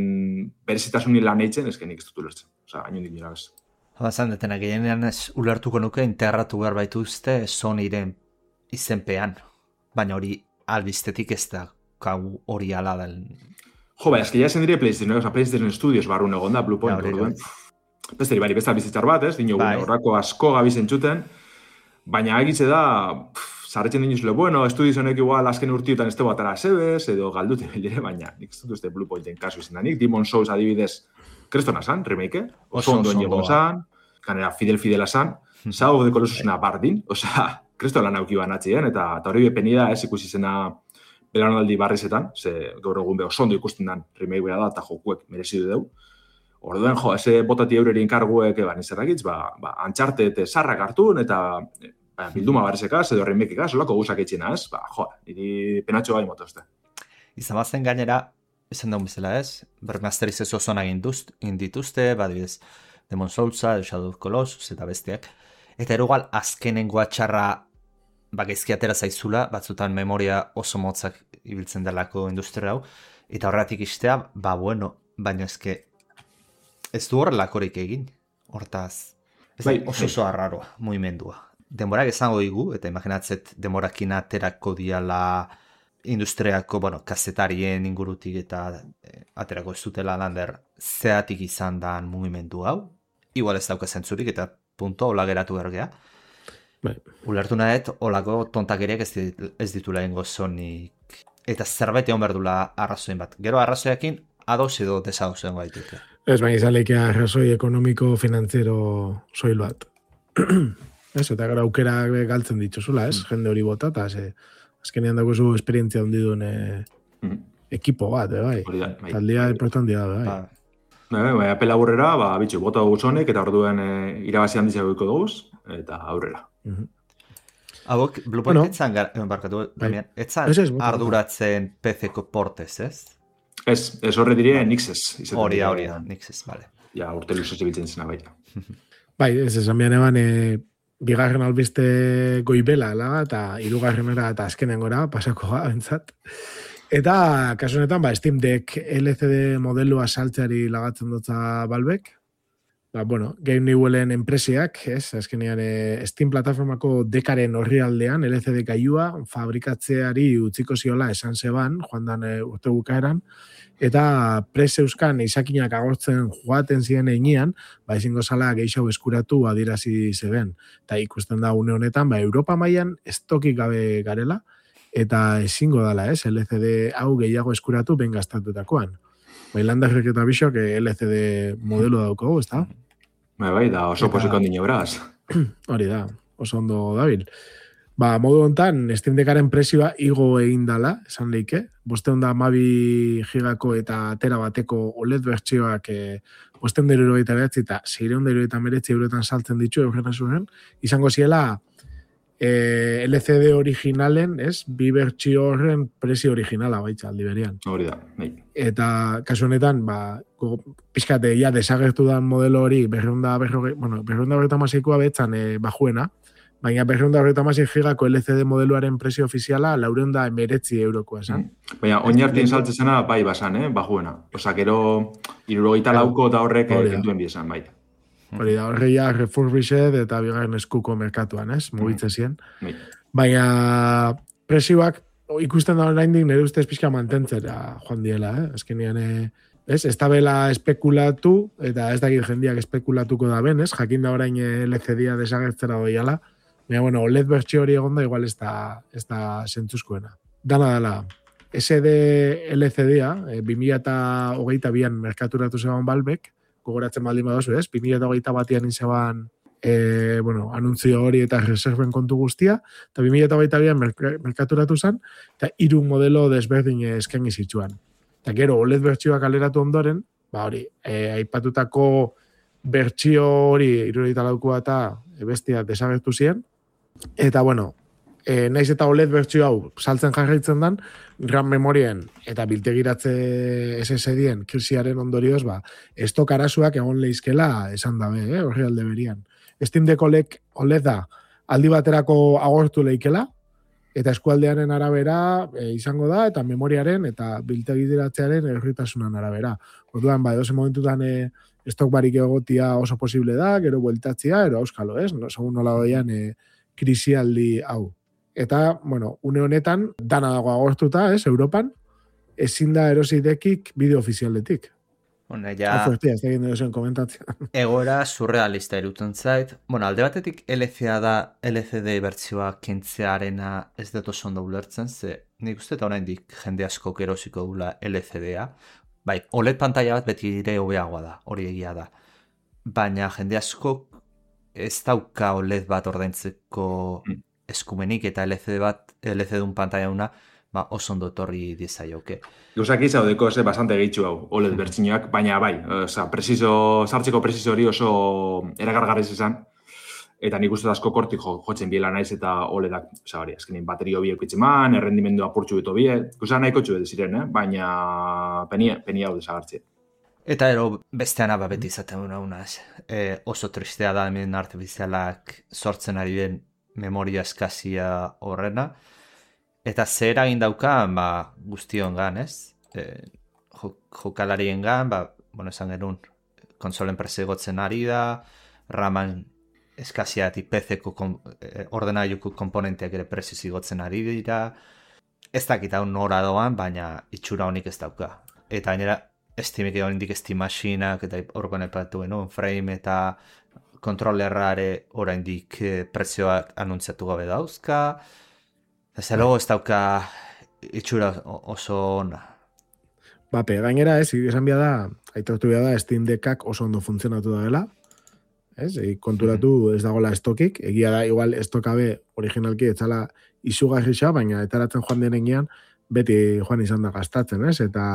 berezitasunin lan eitzen, ezkenik ez dut ulertzen. Osa, hain hondik nira bez. Bazan detena, gehienean ez ulertuko nuke integratu behar baituzte Sonyren izenpean. Baina hori albiztetik ez da kau hori ala del... Jo, bai, eski ja esan dire PlayStation, oza, PlayStation Studios barrun egon da, Blue Point, Ja, hori, orduan. Besteri, bari, besta bizitzar bat, ez? Dino, Bai. horrako asko gabizen txuten, baina egitze da, zarretzen dinuzule, bueno, estudios honek igual azken urtiotan este batara sebez, edo galdute bildire, baina nik ez dut uste Blue Pointen kasu izan da nik, Demon Souls adibidez, krestona zan, remake, Oso, oso ondoen oso llego ondo. zan, kanera fidel-fidela zan, Shadow of the Colossusena bardin, osea, kresto lan auki banatzien, eta, eta hori bepeni da, ez ikusi zena belaunaldi barrizetan, ze gaur egun be oso ondo ikusten dan remake bera da, eta jokuek merezidu deu. Orduan, jo, eze botati eureri inkarguek, ba, nizerrakitz, ba, ba, antxarte eta sarrak hartun, eta ba, bilduma barrizekaz, edo remekekaz, olako guzak etxina, ez? Ba, jo, niri penatxo gai motozte. Izan bazen gainera, esan daun bezala ez, bermasteriz ez oso nagin dituzte, badibidez, Demon Soulsa, Shadow of Colossus eta bestiak. Eta erugal azkenengoa txarra bagezki atera zaizula, batzutan memoria oso motzak ibiltzen delako industria hau, eta horretik istea, ba bueno, baina eske ez du horrelakorik egin, hortaz. Ez Bai, da, oso oso arraroa, mugimendua. Denborak esango digu, eta imaginatzet denborakin aterako diala industriako, bueno, kazetarien ingurutik eta eh, aterako ez dutela lander zeatik izan dan mugimendu hau. Igual ez dauka zentzurik eta punto hola geratu bergea. Bai. Ulertu nahet, olako tontakeriak ez, dit, ez ditula ingo zonik. Eta zerbait egon berdula arrazoin bat. Gero arrazoiakin ados edo desados egon gaitute. Ez, baina izaleike arrazoi ekonomiko finanziero soil bat. Ez, eta gara aukera galtzen dituzula, ez? Jende hori bota, eta ze, azkenean dago zu esperientzia hondi duen eh, Mhm. ekipo bat, eh, bai. Hori da, bai. Taldea importantia da, bai. Ba, Bai, bai, epe laburrera, ba, bitxu, bota dugu zonek, eta orduen e, irabazi handiz egoiko dugu, eta aurrera. Mhm. hauek, Blue Point Bueno. etzan, gar- eh, barkatu, Bai. Damian, etzan Ez, ez, bota, bota. arduratzen P C-ko portez, ez? Ez, ez horre dire Nixes. izaten Hori da, dira, hori da, nik ez, bale. Ja, urte luzez ibiltzen zena baita. Bai, ez esan bian eban, e, bigarren albiste goibela, ala, eta hirugarrenera eta azkenengora pasako ga, bentsat. Eta, kasu honetan, ba, Steam Deck L C D modelua saltzeari lagatzen dutza Valvek. Ba, bueno, Game Newellen enpresiak, ez, azkenean e, Steam plataformako dekaren horri aldean, L C D gailua fabrikatzeari utziko ziola esan zeban, joan dan e, urte bukaeran, eta prez euskan izakinak agortzen joaten ziren einean, ba, ezingo zala gehiago eskuratu adierazi zeben. Eta ikusten da une honetan, ba, Europa mailan estokik gabe garela, eta ezingo dala, ez, L C D hau gehiago eskuratu ben gastatutakoan. Bailandarrek eta bisok L C D modelo daukagu, ez da? Bai, bai, da oso Eta- posiko handine beraz. Hori da, oso ondo dabil. Ba, modu hontan, Steam Deckaren prezioa igo egin dala, esan leike. Bosteun da hamabi gigako eta tera bateko O L E D bertsioak e, bosteun da hirurogeita bederatzi eta seiehun da hirurogeita hemeretzi eurotan saltzen ditu euren esuren. Izango ziela e, L C D originalen, ez? Bi bertsio horren prezio originala baitza aldi berian. Hori da, bai. Eta kasu honetan, ba, pixkate, ja, desagertu da modelo hori, berreunda, berroge, bueno, berreunda berreta masikoa betzan e, bajuena, baina berreunda berreta masik gigako L C D modeluaren presio ofiziala laureunda emeretzi eurokoa esan. Baina, oinartien saltzen zena, bai, basan, eh, bajuena. Osa, gero, irurogeita lauko eta horrek Hori eh, da. kentuen biesan, bai. Hori da, horreia refurbished eta bigarren eskuko merkatuan, ez? Mugitzen ziren. Bai. Baina presioak o, ikusten da oraindik nire ustez pixka mantentzera joan diela, eh? Azkenean, eh, ez? Ez da bela espekulatu, eta ez dakit jendiak espekulatuko da ben, ez? Jakin da orain eh, L C D-a desagertzera doiala. Baina, bueno, O L E D bertsio hori egonda, igual ez da, ez da zentzuzkoena. Dana dela, S D L C D-a, eh, bi mila hogeita bian merkaturatu zeban Valvek, gogoratzen baldin badozu, ez? bi mila hogeita batian inzeban e, bueno, anuntzio hori eta reserven kontu guztia, eta bi mila hogeita bian merk- merkaturatu zen, eta hiru modelo desberdin eskaini zituen. Eta gero, O L E D bertsioak aleratu ondoren, ba hori, e, aipatutako bertsio hori hirurogeita laukoa eta bestia desagertu ziren, eta bueno, e, naiz eta O L E D bertsio hau saltzen jarraitzen dan, RAM memorien eta biltegiratze S S D-en krisiaren ondorioz, ba, estok arazoak egon leizkela esan dabe, eh, horri alde berian. Steam Deck O L E D-a aldi baterako agortu leikela, eta eskualdearen arabera e, izango da, eta memoriaren eta biltegiratzearen erritasunan arabera. Orduan, ba, edozen momentutan e, estok barik egotia oso posible da, gero bueltatzia, ero auskalo, ez? No, segun nola doian e, krisialdi hau. Eta, bueno, une honetan, dana dago agortuta, ez, Europan, ezin da erosidekik bideo ofizialetik. Bueno, ja... Hau fuertia, ez da egin duzuen komentatzea. Egoera surrealista iruten zait. Bueno, alde batetik L C D da, L C D bertsioa kentzearena ez dut oso ondo ulertzen, ze nik uste eta oraindik jende asko erosiko dula L C D-a. Bai, O L E D pantalla bat beti ere hobeagoa da, hori egia da. Baina jende asko ez dauka O L E D bat ordaintzeko eskumenik eta L C D bat, L C D-un pantalla una, ba, oso ondo etorri dizaioke. Gauzak izaudeko ze bastante gehitxu hau, O L E D bertxiñoak, baina bai, oza, preciso, sartzeko preciso hori oso eragargarriz izan, eta nik uste asko kortik jo, jotzen biela naiz eta O L E D-ak, oza, hori, azkenin baterio biek itzeman, errendimendu apurtxu beto bie, gauza nahiko txu edo ziren, eh? Baina penia, penia hau desagartzea. Eta ero bestean aba beti izaten duna unaz, e, oso tristea da hemen artifizialak sortzen ari den memoria eskazia horrena, eta zer eragin dauka, ba, guztion gan, ez? E, jokalarien gan, ba, bueno, esan genuen, konsolen presegotzen ari da, raman eskaziatik P C-ko eh, ordenailuko komponenteak ere prezio zigotzen ari dira, ez dakit hau nora doan, baina itxura honik ez dauka. Eta gainera, Steamik edo indik Steam Machinak, eta horrekoan epatu genuen, frame eta kontrolerrare oraindik eh, prezioak anuntziatu gabe dauzka, ez logo ez dauka itxura oso ona. Bape, gainera ez, esan bia da, aitortu bia da, Steam Deckak oso ondo funtzionatu da dela, ez, e, konturatu ez dagoela estokik, egia da, igual estokabe originalki ez zala izugarrixa, baina etaratzen joan denean, beti joan izan da gastatzen, ez, eta,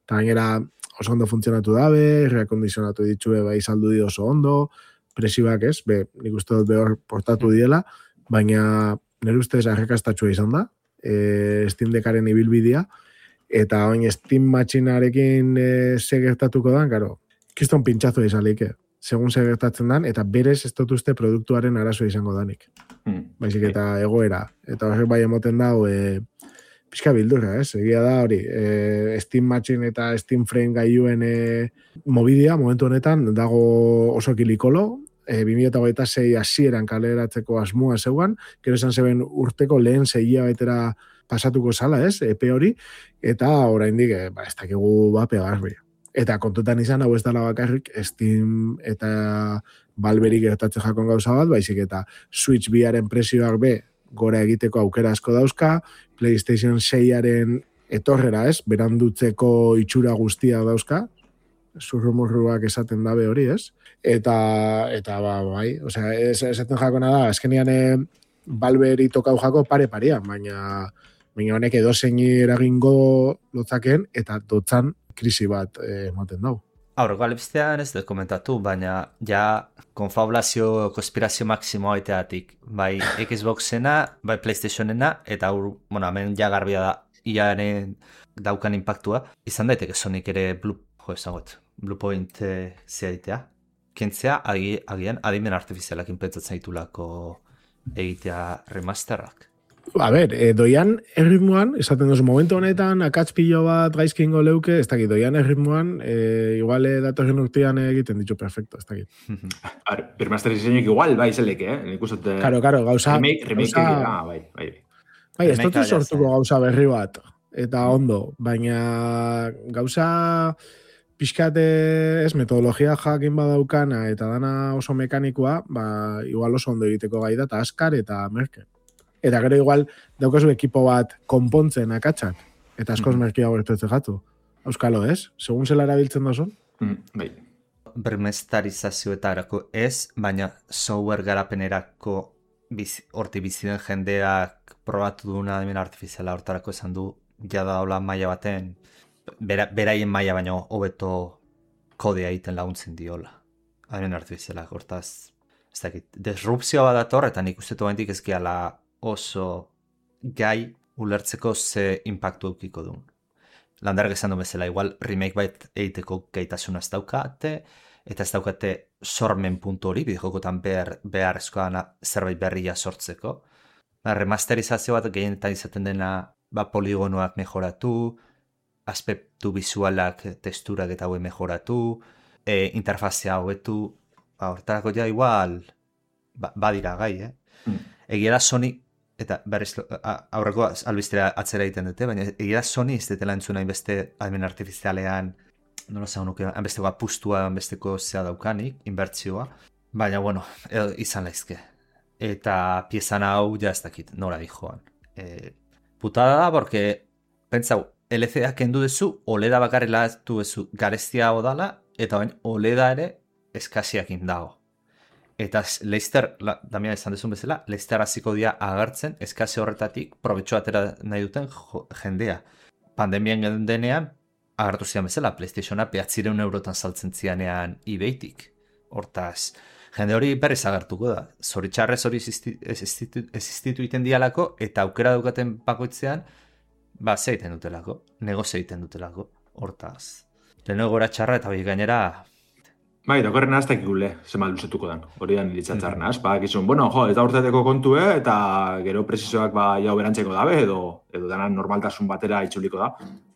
eta gainera oso ondo funtzionatu dabe, reakondizionatu ditxue bai saldu di oso ondo, presioak ez, be, nik uste dut behor portatu diela, baina nire ustez arrakastatxua izan da, e, Steam Deckaren ibilbidea, eta oin Steam Machinearekin e, ze gertatuko dan, karo, kiston pintxazo izalik, segun ze gertatzen dan, eta berez ez dut uste produktuaren arazoa izango danik. Hmm. Baizik eta egoera, eta horrek bai emoten dau, e, pixka bildurra, ez? Egia da hori, e, Steam Machine eta Steam Frame gailuen e, mobidia, momentu honetan, dago oso kilikolo, E, bi mila hogeita sei hasieran kaleratzeko asmoa zeuan, gero esan zeben urteko lehen zeia betera pasatuko zala, ez, epe hori, eta oraindik e, ba, ez dakigu bape garbi. Eta kontutan izan, hau ez dala bakarrik, Steam eta Valverik gertatzen jakon gauza bat, baizik eta Switch biaren presioak be, gora egiteko aukera asko dauzka, PlayStation seiaren etorrera, ez, berandutzeko itxura guztia dauzka, zurrumurruak esaten dabe hori, ez? Eta, eta ba, bai, osea, ez, esaten jakona da, azkenian e, Valveri tokau jako pare-parean, baina, baina honek edo zeini eragingo lotzaken, eta dotzan krisi bat ematen dau. Aurreko alebiztean ez dut komentatu, baina ja konfabulazio, konspirazio maksimoa aiteatik, bai Xboxena, bai PlayStationena, eta hor, bueno, hemen ja garbia da, iaren daukan impactua, izan daiteke Sonic ere Blue, jo, esangot, Bluepoint e, zehaitea. Kentzea, agi, agian, adimen artifizialak inpentsatzen ditulako egitea remasterrak. A ber, e, doian erritmoan, esaten duzu momentu honetan, akatz pilo bat gaizkingo leuke, ez dakit, doian erritmoan, e, igual datorren urtean egiten ditu perfecto, ez dakit. Remasterizainek igual, bai, zeleke, eh? Nik uste... Karo, karo, gauza... Remake, remake, gauza, ah, bai, bai. Bai, ez dut sortuko gauza berri bat, eta ondo, baina gauza... Pixkat ez metodologia jakin badaukana eta dana oso mekanikoa, ba, igual oso ondo egiteko gai da, eta askar eta merke. Eta gero igual daukazu ekipo bat konpontzen akatsak, eta askoz mm. merkiago gertuetzen jatu. Euskalo ez? Segun zela erabiltzen dozun? Mm, bai. Bermestarizazioetarako ez, baina software garapenerako biz, horti biziden jendeak probatu duna hemen artifiziala hortarako esan du, jada hola maila baten, Bera, beraien maila baino hobeto kodea egiten laguntzen diola. Hemen artifizialak, hortaz, ez dakit, disrupzioa badator, eta nik uste toendik ez gehala oso gai ulertzeko ze impactu eukiko duen. Landarek esan du bezala, igual remake bait egiteko gaitasuna ez daukate, eta ez daukate sormen puntu hori, bideokotan behar, beharrezkoa zerbait berria sortzeko. Ba, remasterizazio bat gehienetan izaten dena ba, poligonoak mejoratu, aspektu bizualak, testurak eta haue mejoratu, e, interfazea hobetu, ba, hortarako ja igual ba, badira gai, eh? Mm. Egia da Sony, eta berriz aurreko albistera atzera egiten dute, baina egia da Sony ez detela entzuna inbeste admin artifizialean, nola zaun nuke, enbesteko apustua, enbesteko zea daukanik, inbertzioa, baina, bueno, edo, izan laizke. Eta piezan hau ja ez dakit, nora di joan. E, putada da, porque, pentsau, L C D-a kendu duzu, O L E D-a bakarrela duzu gareztia odala, eta bain O L E D-a ere eskasiakin dago. Eta Leicester, la, damia esan dezun bezala, Leicester hasiko dia agertzen eskasi horretatik probetxo atera nahi duten jo, jendea. Pandemian denean, agertu zian bezala, PlayStationa behatzireun eurotan saltzen zianean eBaytik. Hortaz, jende hori berriz agertuko da. Zoritxarrez hori existitu iten dialako, eta aukera daukaten bakoitzean, ba, ze egiten dutelako, negozio egiten dutelako. Hortaz, lehenengo gora txarra eta hori gainera... Bai, dakorren aztak ikule, zema luzetuko den, hori da niritzatxarren az. Ba, gizun, bueno, jo, eta urteteko kontue, eta gero presizoak ba, jau berantzeko dabe, edo, edo denan normaltasun batera itxuliko da.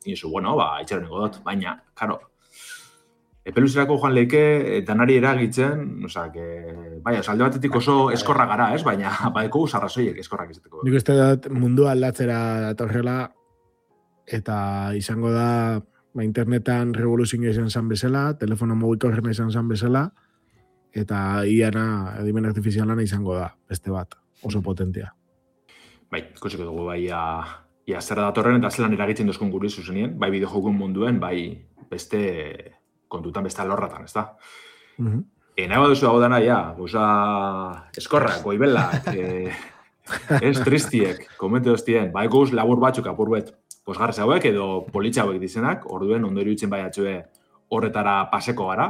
Izu, bueno, ba, itxaroniko dut, baina, karo, epeluzerako joan leike, danari eragitzen, oza, que, bai, alde batetik oso eskorra gara, ez, baina, badeko usarrazoiek eskorrak izateko. Nik uste dut mundu aldatzera datorrela, eta izango da, ba, internetan revoluzioa izan zan bezala, telefono mugikorrena izan zan bezala, eta iana edimen artifizialana izango da, beste bat, oso potentia. Bai, ikusiko dugu, bai, ia, ia zer datorren, eta zelan eragitzen dozkun guri zuzenien, bai bideojokun munduen, bai beste kontutan beste alorratan, ez da? Uh-huh. E, nahi baduzu dago dana, ja, goza eskorrak, goibelak, e, ez tristiek, komente doztien, bai guz labur batzuk apurbet, posgarrez hauek edo politxa hauek dizenak, orduen ondo iruditzen bai atxue horretara paseko gara.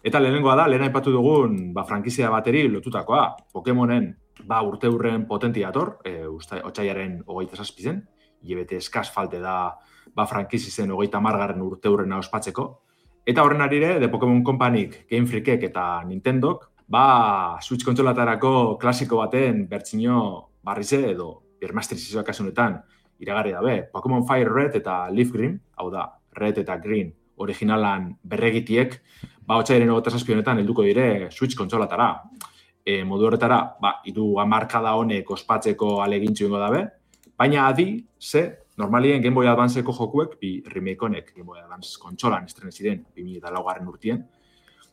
Eta lehenengoa da, lehen aipatu dugun ba, frankizia bateri lotutakoa. Pokemonen ba, urte hurren potentiator, e, otxaiaren hogeita zazpizen, hilabete eskaz falte da ba, frankizizen hogeita margarren urte hurrena ospatzeko. Eta horren arire, The Pokemon Companyk, Game Freakek eta Nintendok, ba, Switch kontsolatarako klasiko baten bertsio barrize edo birmasterizazioak kasunetan iragarri dabe, Pokemon Fire Red eta Leaf Green, hau da, Red eta Green originalan berregitiek, ba, otxaiaren hogeita zazpi honetan helduko dire Switch kontsolatara. E, modu horretara, ba, idu hamarkada honek ospatzeko alegintxu ingo dabe, baina adi, ze, normalien Game Boy Advanceko jokuek, bi remake honek Game Boy Advance kontsolan estrene ziren, bi mila laugarren urtien,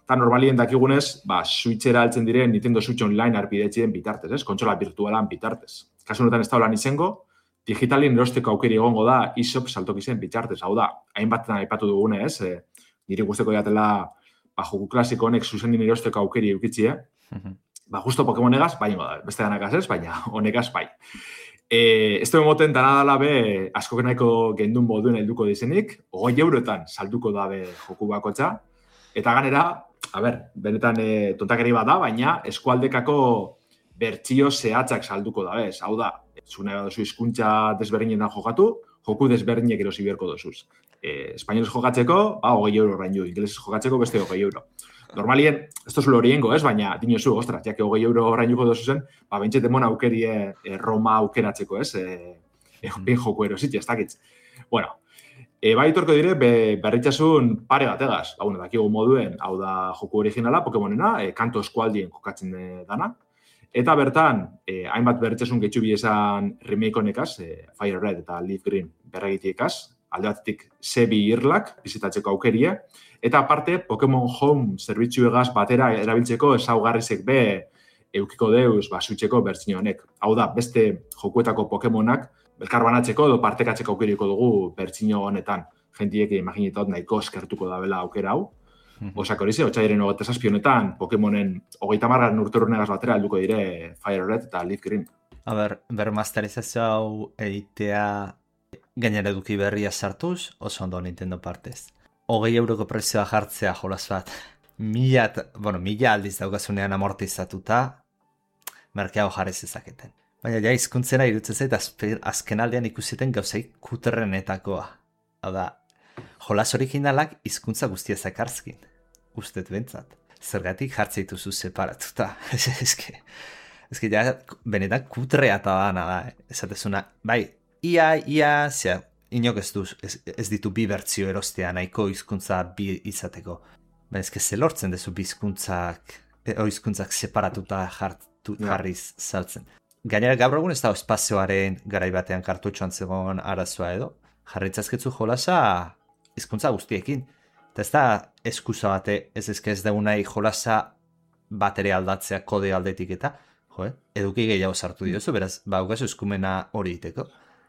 eta normalien dakigunez, ba, Switchera altzen diren Nintendo Switch Online arpidetzien bitartez, ez? Kontsola virtualan bitartez. Kasu honetan ez da holan izango, digitalin erosteko aukeri egongo da eShop saltokizen bitartez. Hau da, hainbatetan aipatu dugune, ez? E, niri guzteko jatela ba, joku klasiko honek zuzenin erosteko aukeri eukitzie. Mm-hmm. Ba, justo Pokemonegaz, bai ingo da, beste danakaz ez, baina honegaz bai. E, ez duen moten dana dala be, asko genaiko gendun moduen helduko dizenik, hogei eurotan salduko dabe joku bakotxa, eta ganera, a ber, benetan e, tontakeri bat da, baina eskualdekako bertsio zehatzak salduko dabe, ez, hau da, zune baduzu hizkuntza desberdinetan jokatu, joku desberdinek erosi beharko dozuz. E, Espainolez jokatzeko, ba, hogei euro orain jo, ingelesez jokatzeko beste hogei euro. Normalien, ez tozulo horiengo, ez, baina dinozu, ostras, jake hogei euro orain juko dozuzen, ba, bentset emona aukerie e, Roma aukeratzeko, ez, e, e, ben joku erositxe, ez dakitz. Bueno, e, bai torko dire, be, berritxasun pare bategaz, ba, bueno, dakigu moduen, hau da joku originala, Pokemonena, e, kanto eskualdien jokatzen e, dana, eta bertan, eh, hainbat berritxasun gehitxu esan remake honekaz, eh, Fire Red eta Leaf Green berregitiekaz, alde batetik zebi irlak, bizitatzeko aukerie, eta aparte, Pokemon Home zerbitzuegaz batera erabiltzeko ezaugarrizek be eukiko deuz basutxeko bertsio honek. Hau da, beste jokuetako Pokemonak belkarbanatzeko edo partekatzeko aukeriko dugu bertsio honetan. Jentiek imaginetot nahiko eskertuko da bela aukera hau. Osak hori ze, otxaiaren hogeita zazpi honetan, Pokemonen hogeita margarren urterunegaz batera helduko dire Fire Red eta Leaf Green. A ber, bermasterizazio hau egitea gainera eduki berria sartuz, oso ondo Nintendo partez. Hogei euroko prezioa jartzea jolas bat, mila, bueno, mila aldiz daukasunean amortizatuta, merkeago jarri zezaketen. Baina ja, hizkuntzena irutzen zait, azken aldean ikusiten gauzei kuterrenetakoa. Hau da, jolas originalak hizkuntza guztia zakarzkin, ustet bentsat. Zergatik jartzeituzu separatuta. Eske, eske ja, benetan kutrea eta dana da. Esatezuna, bai, ia, ia, zea, inok ez, duz, ez, ez ditu bi bertzio erostea nahiko hizkuntza bi izateko. Ba, ezke ze lortzen dezu bizkuntzak, oizkuntzak separatuta jartu, jarriz saltzen. Gainera gaur egun ez da espazioaren garai batean kartutxoan zegoen arazoa edo, jarritzazketzu jolasa hizkuntza guztiekin. Eta ez da eskusa bate, ez ezke ez dugu nahi jolasa bat ere aldatzea kode aldetik eta, jo, eh? Eduki gehiago sartu diozu, beraz, ba, ugazu eskumena hori iteko.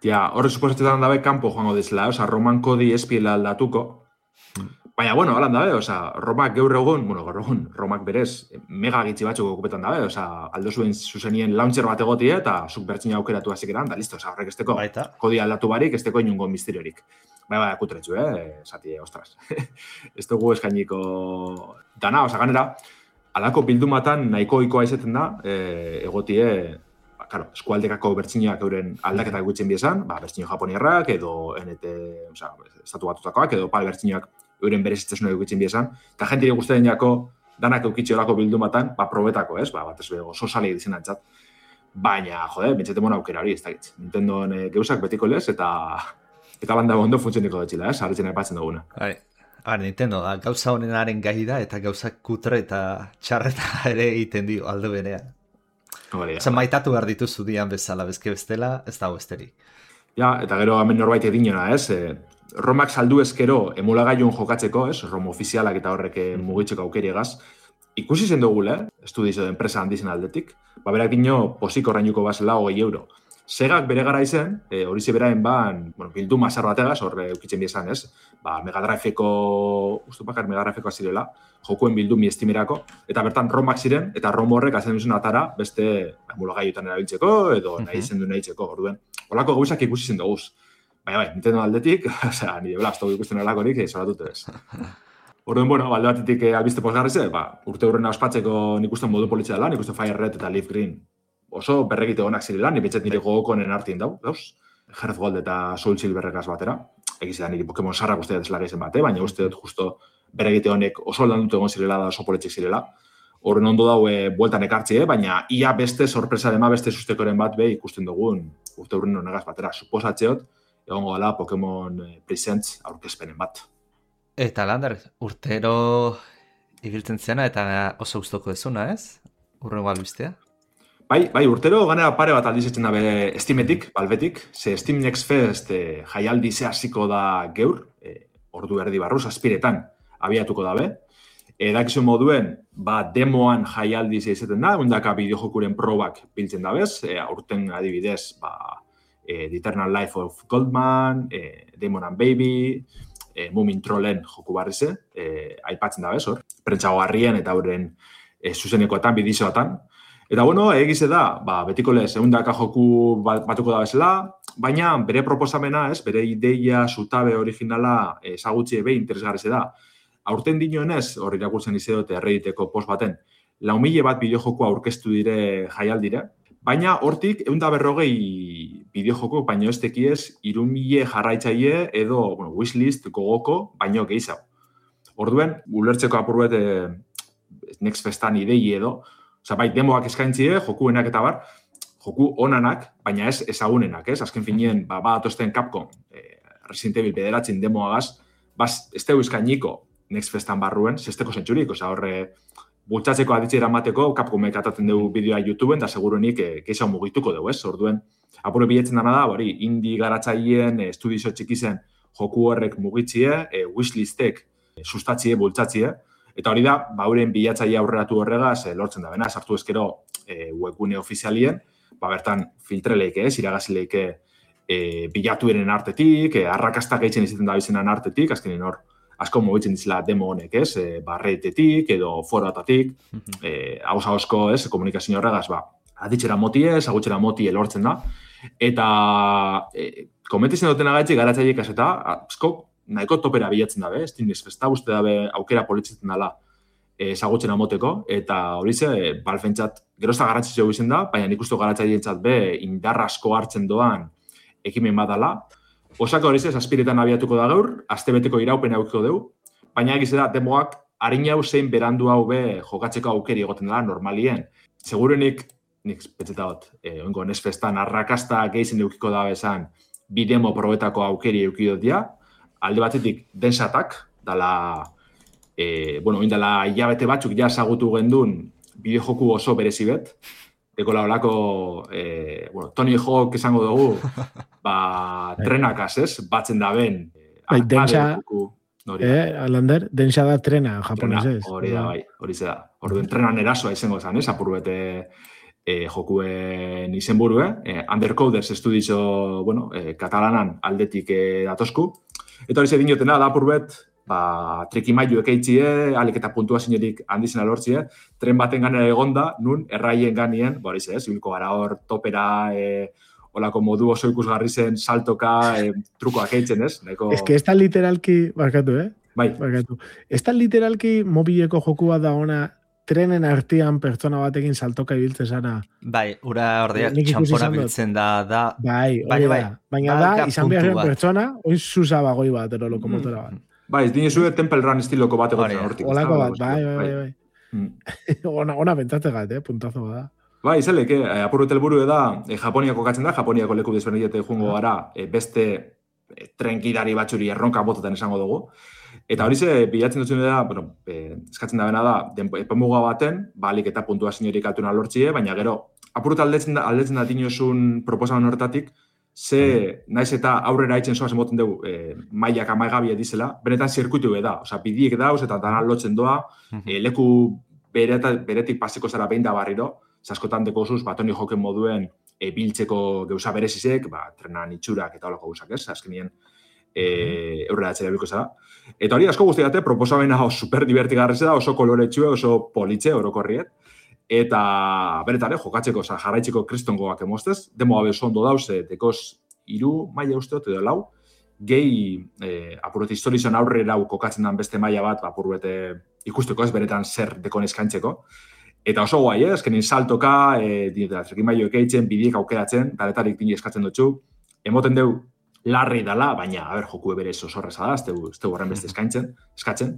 Ja, horre suposatzetan dabe kanpo joango dizela, oza, Roman kodi espiela aldatuko. Baina, bueno, holan dabe, oza, Romak gaur egun, bueno, gaur egun, Romak berez, mega gitzi batzuk okupetan dabe, oza, aldo zuen zuzenien launcher bat egotie, eta zuk bertzina aukeratu hasik eran, da listo, oza, horrek esteko kodi aldatu barik, esteko inungo misteriorik. Bai, bai, akutretzu, eh, zati, ostras. Ez dugu eskainiko dana, oza, ganera, alako bildumatan nahiko ikoa izaten da, eh, egotie, ba, claro, eskualdekako bertziniak euren aldaketak gutzen biezan, ba, bertzinio japoniarrak, edo N T, oza, estatu batutakoak, edo pal bertziniak euren berezitzesuna eukitzen biezan, eta jentiri guztien jako danak eukitxe olako bildumatan, ba, probetako, ez, ba, bat ez bego, sosale egiten antzat. Baina, jode, bentsete mona aukera hori, ez da gitz. Nintendoen e, geuzak betiko lez, eta eta banda ondo funtzioniko dutxila, ez, harritzen aipatzen duguna. Bai, bai, Nintendo da, gauza honenaren gai da, eta gauzak kutre eta txarreta ere egiten dio aldo berean. Osa, maitatu behar dituzu dian bezala, bezke bestela, ez dago besterik. Ja, eta gero hemen norbait edinona, ez, e, Romak saldu ezkero emulagailun jokatzeko, ez, Rom ofizialak eta horrek mugitzeko aukeriegaz, ikusi zen dugule, estudizo de enpresa handizen aldetik, ba berak dino posik orrainuko bazela hogei euro. Segak bere gara izen, e, hori zeberaen ban, bueno, bildu mazar bategaz, horre eukitzen biezan, ez, ba, Megadriveko, ustu bakar Megadriveko azirela, jokuen bildu mi estimerako, eta bertan Romak ziren, eta Rom horrek azen duzen atara, beste emulagaillutan erabiltzeko, edo nahi zen du nahi txeko, orduen. Olako gauzak ikusi zen duguz. Baina, bai, Nintendo aldetik, osea, nire blazto ikusten olakorik, zoratute ez. Orduan, bueno, balde batetik eh, albiste posgarrize, ba, urte hurrena ospatzeko nik uste modu politxea dela, nik uste Fire Red eta Leaf Green oso berregite honak zirela, nik betxet nire gogokonen artien dau, dauz? Hearth Gold eta Soul Silverrekaz batera. Egiz da nire Pokemon sarrak uste dut eslagaizen bate, baina uste dut justo berregite honek oso aldan dut egon zirela da oso politxek zirela. Horren ondo dau e, bueltan ekartzie, baina ia beste sorpresa dema beste sustekoren bat be ikusten dugun urte hurren honegaz batera. Suposatzeot, egongo dela Pokemon Presents aurkezpenen bat. Eta Lander, urtero ibiltzen ziana eta oso gustoko dezuna, ez? Urrengo albistea? Bai, bai, urtero ganera pare bat aldizetzen dabe Steametik, Valvetik, ze Steam Next Fest e, jaialdi ze hasiko da geur, e, ordu erdi barruz, aspiretan abiatuko dabe. Edakizu moduen, ba, demoan jaialdi ze izaten da, ondaka bideojokuren probak biltzen dabez, e, aurten adibidez, ba, e, The Eternal Life of Goldman, e, Demon and Baby, e, Moomin Trollen joku barrize, e, aipatzen dabez, hor, prentsagoarrien eta horren e, zuzenekoetan, bidizoetan. Eta bueno, egize da, ba, betiko lez, eundaka joku batuko da bezala, baina bere proposamena, ez, bere ideia, zutabe originala ezagutzi ebe interesgarrize da. Aurten dinoenez, hor irakurtzen izedote errediteko post baten, lau mila bat bideojokoa aurkeztu dire jaialdire, baina hortik eunda berrogei bideojoko, baino ez tekiez, iru mila jarraitzaile edo bueno, wishlist gogoko, baino gehiago. Orduen, ulertzeko apurbet eh, Next Festan idei edo, oza, bai, demoak eskaintzie, jokuenak eta bar, joku onanak, baina ez ezagunenak, ez? Azken finien, ba, ba atosten Capcom, eh, Resident Evil bederatzen demoagaz, bas, ez tegu eskainiko Next Festan barruen, zesteko zentzurik, oza, horre, bultzatzeko aditxera mateko, Capcomek ataten dugu bideoa YouTubeen, da segurunik eh, keixa mugituko dugu, ez? Orduen, apure biletzen dana da, hori, indie garatzaileen, eh, estudizo txikizen joku horrek mugitzie, eh, wishlistek eh, sustatzie, bultzatzie, eta hori da, ba, hauren bilatzaile aurreratu horregaz, eh, lortzen da bena, sartu ezkero eh, webgune ofizialien, ba, bertan filtreleike, ez, iragazileike eh, bilatu eren artetik, eh, arrakastak eitzen izaten da bizenan artetik, azkenin hor, asko mugitzen dizela demo honek, ez, e, barretetik edo forotatik, eh, hausa-hausko, ez, komunikazio horregaz, ba, aditxera moti ez, agutxera moti elortzen da, eta e, komentizen duten agaitzi garatzaileek eta asko nahiko topera bilatzen dabe, Steam Next Festa uste dabe aukera politzen dela ezagutzen amoteko, eta hori ze, e, balfentzat, gerozta garrantzitsua izen da, baina nik uste garatzaileentzat be, indar asko hartzen doan ekimen badala. Osako hori ze, aspiretan abiatuko da gaur, astebeteko iraupen aukiko dugu, baina egize da, demoak harin hau zein berandu hau be jokatzeko aukeri egoten dela normalien. Segurenik, nik petzeta hot, e, oingo Next Festan arrakasta gehizen eukiko da bezan, bi demo probetako aukeri eukidot dia, alde batetik densatak, dala e, bueno, indala hilabete batzuk ja ezagutu gendun bideojoku oso berezi bet, Eko laolako, e, bueno, Tony Hawk esango dugu, ba, trenakaz, ez? Batzen da ben. Bai, dentsa, eh, Alander, dentsa da trena, japonesez. Hori da, bai, hori ze da. Orduen trenan erasoa izango zen, ez? Apur bete e, jokuen izenburue. E, Undercoders estudizo, bueno, e, katalanan aldetik e, datosku. Eta hori ze dinotena, da apur bet, ba, trikimailu ekeitzie, alik eta puntuaziorik handizena lortzie, tren baten ganera egonda, nun, erraien ganien, ba, hori ze, ez, ibilko gara hor topera, e, olako modu oso ikusgarri zen, saltoka, e, trukoak eitzen, ez? Neko... Ez que ez da literalki, barkatu, eh? Bai. Barkatu. Ez da literalki mobileko jokua da ona, trenen artean pertsona batekin saltoka ibiltzen zara. Bai, ura ordeak txampona biltzen da, da... Bai, hori bai, da. Baina da, izan beharren pertsona, oin zuzabagoi bat, ero lokomotora bat. Bai, ez dine zue Temple Run estiloko bat egotzen hortik. Olako bat, bai, bai, bai. bai. ona, ona bentzate gat, eh, puntazo bada. Bai, zelek, eh, apurret helburu da, eh, Japoniako katzen da, Japoniako leku desberdinete jungo gara, eh, beste eh, trenkidari batzuri erronka bototen esango dugu. Eta hori ze, bilatzen dutzen da, bueno, eh, eskatzen da bena da, epemuga baten, balik eta puntuaziorik altuna lortzie, baina gero, apurret aldetzen da, aldetzen da dinosun proposamen horretatik, ze, naiz eta aurrera haitzen zoaz emoten dugu, eh, mailak amaigabia dizela, benetan zirkuitu da, oza, bidiek dauz eta dana lotzen doa, eh, leku bereta, beretik pasiko zara behin da barriro, zaskotan deko zuz, ba, Tony Hawken moduen e, biltzeko geuza berezizek, ba, trenan itxurak eta holako gauzak, ez? Azkenien e, aurrera atzera bilko zara. Eta hori asko guztiate, proposamena super divertigarri da, oso koloretxue, oso politxe, orokorriet. Eta benetan, eh, jokatzeko, oza, jarraitzeko kristongoak emostez, demo gabe oso ondo dauz, dekoz iru maila usteot edo lau, gehi eh, apurret historizan aurrera kokatzen den beste maila bat, apurrete ikusteko ez benetan zer dekon eskaintzeko. Eta oso guai, eh? Ezkenin saltoka, e, dinotela, trikimailu ekeitzen, bidiek aukeratzen, taletarik dini eskatzen dutxu. Emoten deu larri dala, baina, a ber, joku eberez oso horreza da, ez tegu horren beste eskaintzen, eskatzen.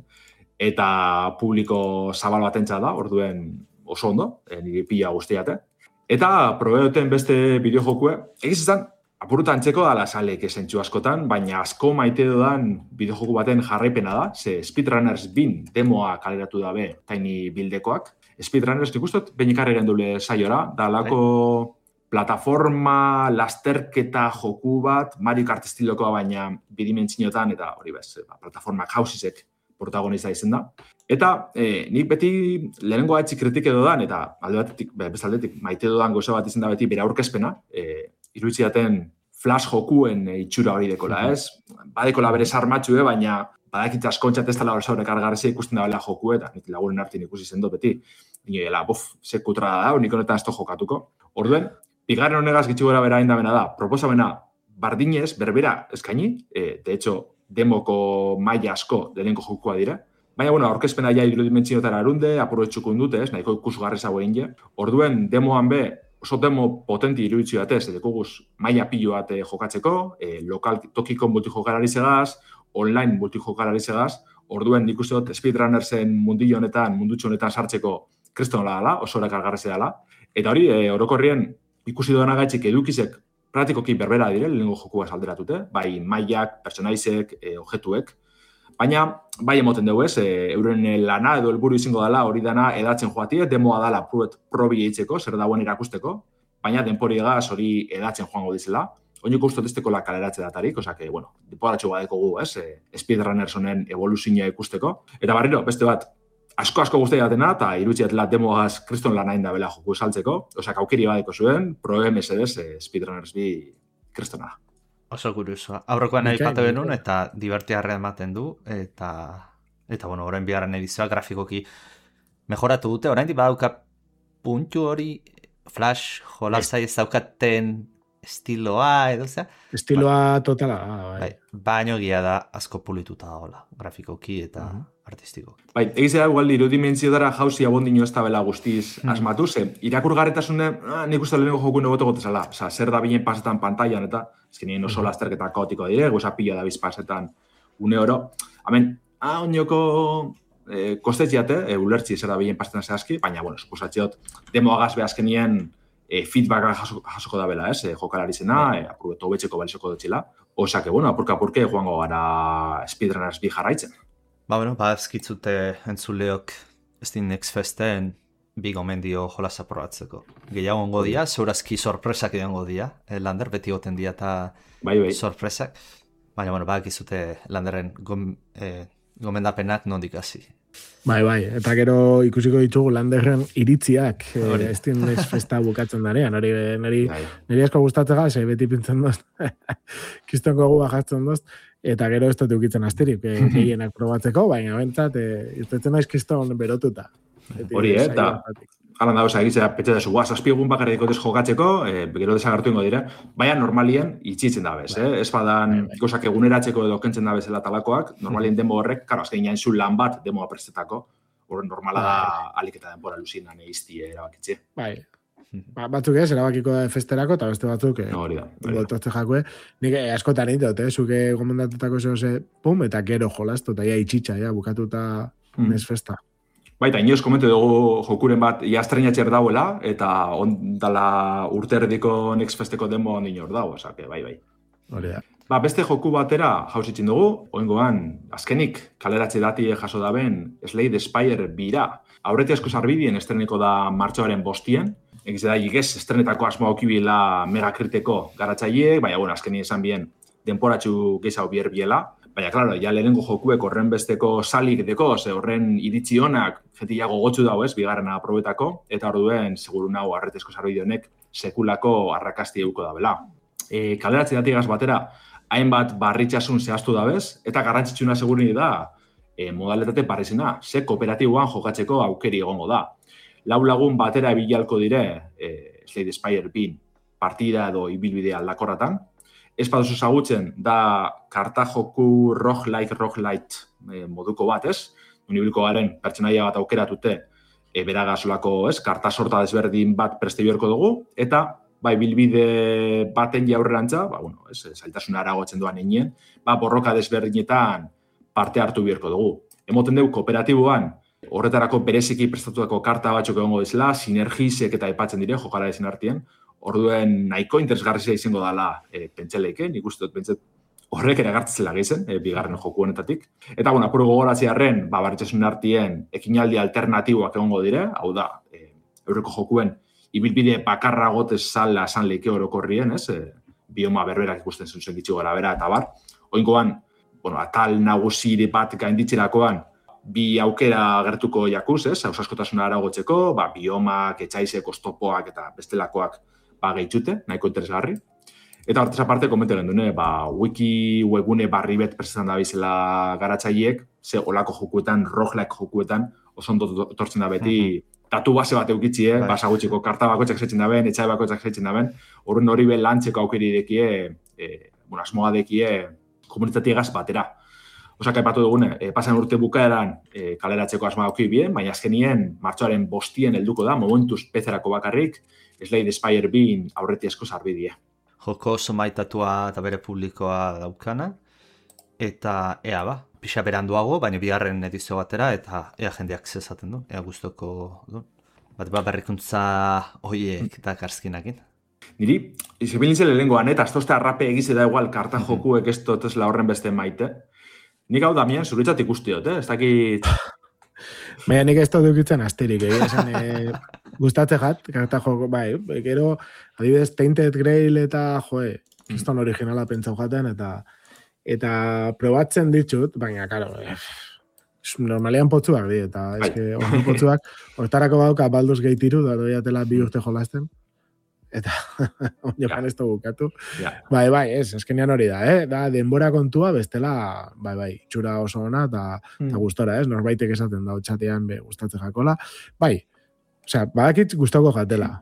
Eta publiko zabal batentza da, orduen oso ondo, e, nire pila guztiate. Eta probeoten beste bideojokue, egiz izan, apurutan txeko dala salek esentxu askotan, baina asko maite dudan bideojoku baten jarraipena da, ze Speedrunners bin demoa kaleratu dabe taini bildekoak. Speedrunners nik ustot, behinikar egen dule saiora, da lako plataforma, lasterketa joku bat, Mario Kart estilokoa baina bidimentzinotan, eta hori bez, plataformak hausizek protagonista izen da. Eta eh, nik beti lehenengo haitzi kritik edo dan, eta alde batetik, bezaldetik, maite dodan goza bat izen da beti bere aurkezpena, eh, iruditziaten flash jokuen e, itxura hori dekola, ez? Badekola bere sarmatxue, baina badakit askontxat ez tala hor zaurek argarrizia ikusten da bela joku, eta nik lagunen artin ikusi zendo beti. Nire dela, bof, sekutra da, nik honetan ez to jokatuko. Orduen, bigarren honegaz gitxu gara bera indamena da, proposamena bardinez, berbera eskaini, e, de hecho, demoko maila asko delenko jokua dira. Baina, bueno, aurkezpena ja irudimentziotara arunde, apurretxukun dute, ez, nahiko ikusgarri zago egin je. Orduen, demoan be, oso demo potenti iruditzu batez, edekuguz maila pilo bat jokatzeko, e, lokal tokiko multijokalari segaz, online multijokalari segaz, orduen nik uste dut Speedrunnersen mundillo honetan, mundutxo honetan sartzeko kriston nola dela, oso horak algarrezea dela. Eta hori, e, orokorrien ikusi duena gaitxik edukizek praktikoki berbera dire, lehenengo jokua salderatute, bai mailak, personaizek, e, objetuek. Baina, bai emoten dugu ez, e, euren lana edo helburu izango dela hori dana edatzen joatie, demoa dela probi eitzeko, zer dagoen erakusteko, baina denpori egaz hori edatzen joango dizela. Oiniko ustot esteko la kaleratze datarik, oza que, bueno, diporatxo badeko gu, ez, e, Speedrunners honen evoluzioa ikusteko. Eta barriro, beste bat, asko-asko guztia datena, eta irutsiatela demoaz kriston lan hain da bela joku esaltzeko, oza, kaukiri badeko zuen, pro M S D e, Speedrunners bi kristona. Oso kuriosoa. Aurrekoan nahi pate benun, eta divertiarra ematen du, eta, eta bueno, orain bigarren edizioa grafikoki mejoratu dute, orain di badauka puntu hori, Flash, jolazai ez daukaten estiloa, edo zea? Estiloa ba, totala, bai. bai. Baino gia da asko pulituta dagoela, grafikoki eta uh -huh. artistiko. Bai, egizea igual irudimentziotara jauzi abondino ez da bela guztiz hmm. asmatu, ze irakurgarretasune, ah, nik uste lehenengo joku negote gotezala, oza, zer da binen pasetan pantailan, eta ezkenien oso lasterketa kaotiko dire, goza pila da biz pasetan une oro. Hemen, ah, oinoko eh, kostetziate, e, ulertzi zer da binen pasetan zehazki, baina, bueno, esposatziot, demoagaz behazkenien E, feedbacka jasoko, jasoko da bela, ez, e, jokalari zena, e, apurbeto betxeko balizoko dutxila. Osa, que, bueno, apurka-apurke joango gara Speedrunners bi jarraitzen. Ba, bueno, ba, ezkitzute entzuleok ez din X-Festen bi gomendio jolasa probatzeko. Gehiago ongo dia, zeurazki sorpresak edango dia, eh, Lander, beti goten dia eta bai, bai. sorpresak. Baina, bueno, ba, ekizute Landerren gom, eh, gomendapenak nondik hasi. Bai, bai, eta gero ikusiko ditugu Landerren iritziak, eh, ez din X-Festa bukatzen darean, hori niri, niri asko gustatzega, ze beti pintzen doz, kistonko gu bajatzen doz, eta gero ez dut eukitzen astirik, eh, gehienak probatzeko, baina bentsat, eh, irtetzen naiz kiston berotuta. Hori, eh, eta halan da, oza, egitzea, petxe da zu, guaz, azpiegun bakarra dikotez jokatzeko, eh, gero desagartu ingo dire, baina normalien itxitzen da bez, eh? Ez badan, gozak eguneratzeko edo kentzen da bezala talakoak, normalien demo horrek, karo, azken jain zu lan bat demoa prestetako, horren normala da alik eta denbora luzinan eizti erabakitze. Bai, ba, batzuk ez, erabakiko da festerako, eta beste batzuk, eh, hori da, boltozte jakue, nik eh, askotan indot, eh, zuke gomendatutako zehose, pum, eta gero jolastu, eta ja itxitxa, ja, bukatuta mm. nes festa. Baita, inoz komente dugu jokuren bat jastrenatxer dauela, eta ondala urterdiko Next Festeko demo ondin hor dago, osake, bai, bai. Hori da. Ba, beste joku batera jauzitzen dugu, oingoan, azkenik, kaleratze dati jaso daben Slade Spire bira. Aurreti asko zarbidien estreneko da martxoaren bostien, egiz da, igez, estrenetako asmoa okibila megakriteko garatzaileek, baina, bueno, azkenik esan bien, denporatxu gehiago bier biela. Baina, klaro, ja lehenengo jokuek horren besteko salik deko, ze horren iritzi honak jetiago gotzu dago ez, bigarrena aprobetako, eta orduen, seguru nago, arretezko zarbide honek sekulako arrakasti euko da bela. E, kaleratze datigaz batera, hainbat barritxasun zehaztu dabez, eta garrantzitsuna segurini da, e, modaletate parrizena, ze kooperatiboan jokatzeko aukeri egongo da. Lau lagun batera bilalko dire, e, Slade Spire bin partida edo ibilbide aldakorratan, ez paduzu zagutzen, da karta joku roguelike roguelite e, moduko bat, ez? Unibiliko garen pertsonaia bat aukeratute e, beragazolako, ez? Karta sorta desberdin bat preste biorko dugu, eta bai bilbide baten jaurrerantza, ba, bueno, ez, zailtasuna aragotzen doan einien, ba, borroka desberdinetan parte hartu biorko dugu. Emoten dugu kooperatiboan, horretarako bereziki prestatutako karta batzuk egongo dizela, sinergisek eta aipatzen dire, jokala ezin artien, orduen nahiko interesgarrizia izango dela e, pentseleike, nik uste dut pentset horrek ere agertzela gehizen, e, bigarren joku honetatik. Eta, bueno, apuro gogoratziarren, ba, barritxasun artien ekinaldi alternatiboak egongo dire, hau da, e, eurreko jokuen ibilbide bakarra gotez zala esan leike orokorrien, ez? E, bioma berberak ikusten zuen gitxi gara bera, eta bar. Oingoan, bueno, atal nagusiri bat gainditzerakoan, bi aukera gertuko jakuz, ez? Hausaskotasuna aragotzeko, ba, biomak, etxaizek, oztopoak eta bestelakoak ba, gehitxute, nahiko interesgarri. Eta hortez aparte, komentaren dune, ba, wiki webune barri bet presentan da bizela garatzaileek, ze olako jokuetan, roguelike jokuetan, oso ondo tortzen da beti, datu base bat eukitzie, eh? Basa gutxiko karta bakoitzak setzen daben, etxai bakoitzak setzen daben, horren hori be lantzeko aukeri dekie, e, bueno, asmoa dekie komunitatiegaz batera. Osak aipatu dugune, e, pasan urte bukaeran e, kaleratzeko asmoa auki bien, baina azkenien, martxoaren bostien helduko da, momentuz pezerako bakarrik, Slade Spire bin aurreti asko zarbidie. Joko oso maitatua eta bere publikoa daukana, eta ea ba, pixa beranduago, baina bigarren edizio batera, eta ea jendeak zezaten du, ea guztoko du. Bat ba berrikuntza hoiek eta karzkinakin. Niri, izibilintzen lehengoan, eta aztozte arrape egize da igual kartan jokuek ez totesla horren beste maite. Nik hau Damian, zuritzat ikustiot, eh? Ez dakit... Baina nik ez dut dukitzen asterik, eh? Esan, eh, gustatze jat, karta joko, bai, gero, adibidez, Tainted Grail eta, joe, kriston originala pentsau jaten, eta eta probatzen ditut, baina, karo, eh, normalian potzuak di, eta eske, ordu potzuak, hortarako bauka Baldur's Gate hiru, da doiatela bi urte jolasten, eta jokan ez dugu bukatu. Bai, bai, ez, eskenean hori da, eh? Da, denbora kontua bestela, bai, bai, txura oso ona, eta mm. gustora, ez? Norbaitek esaten da, txatean be gustatzen jakola. Bai, osea, badakit gustoko jatela.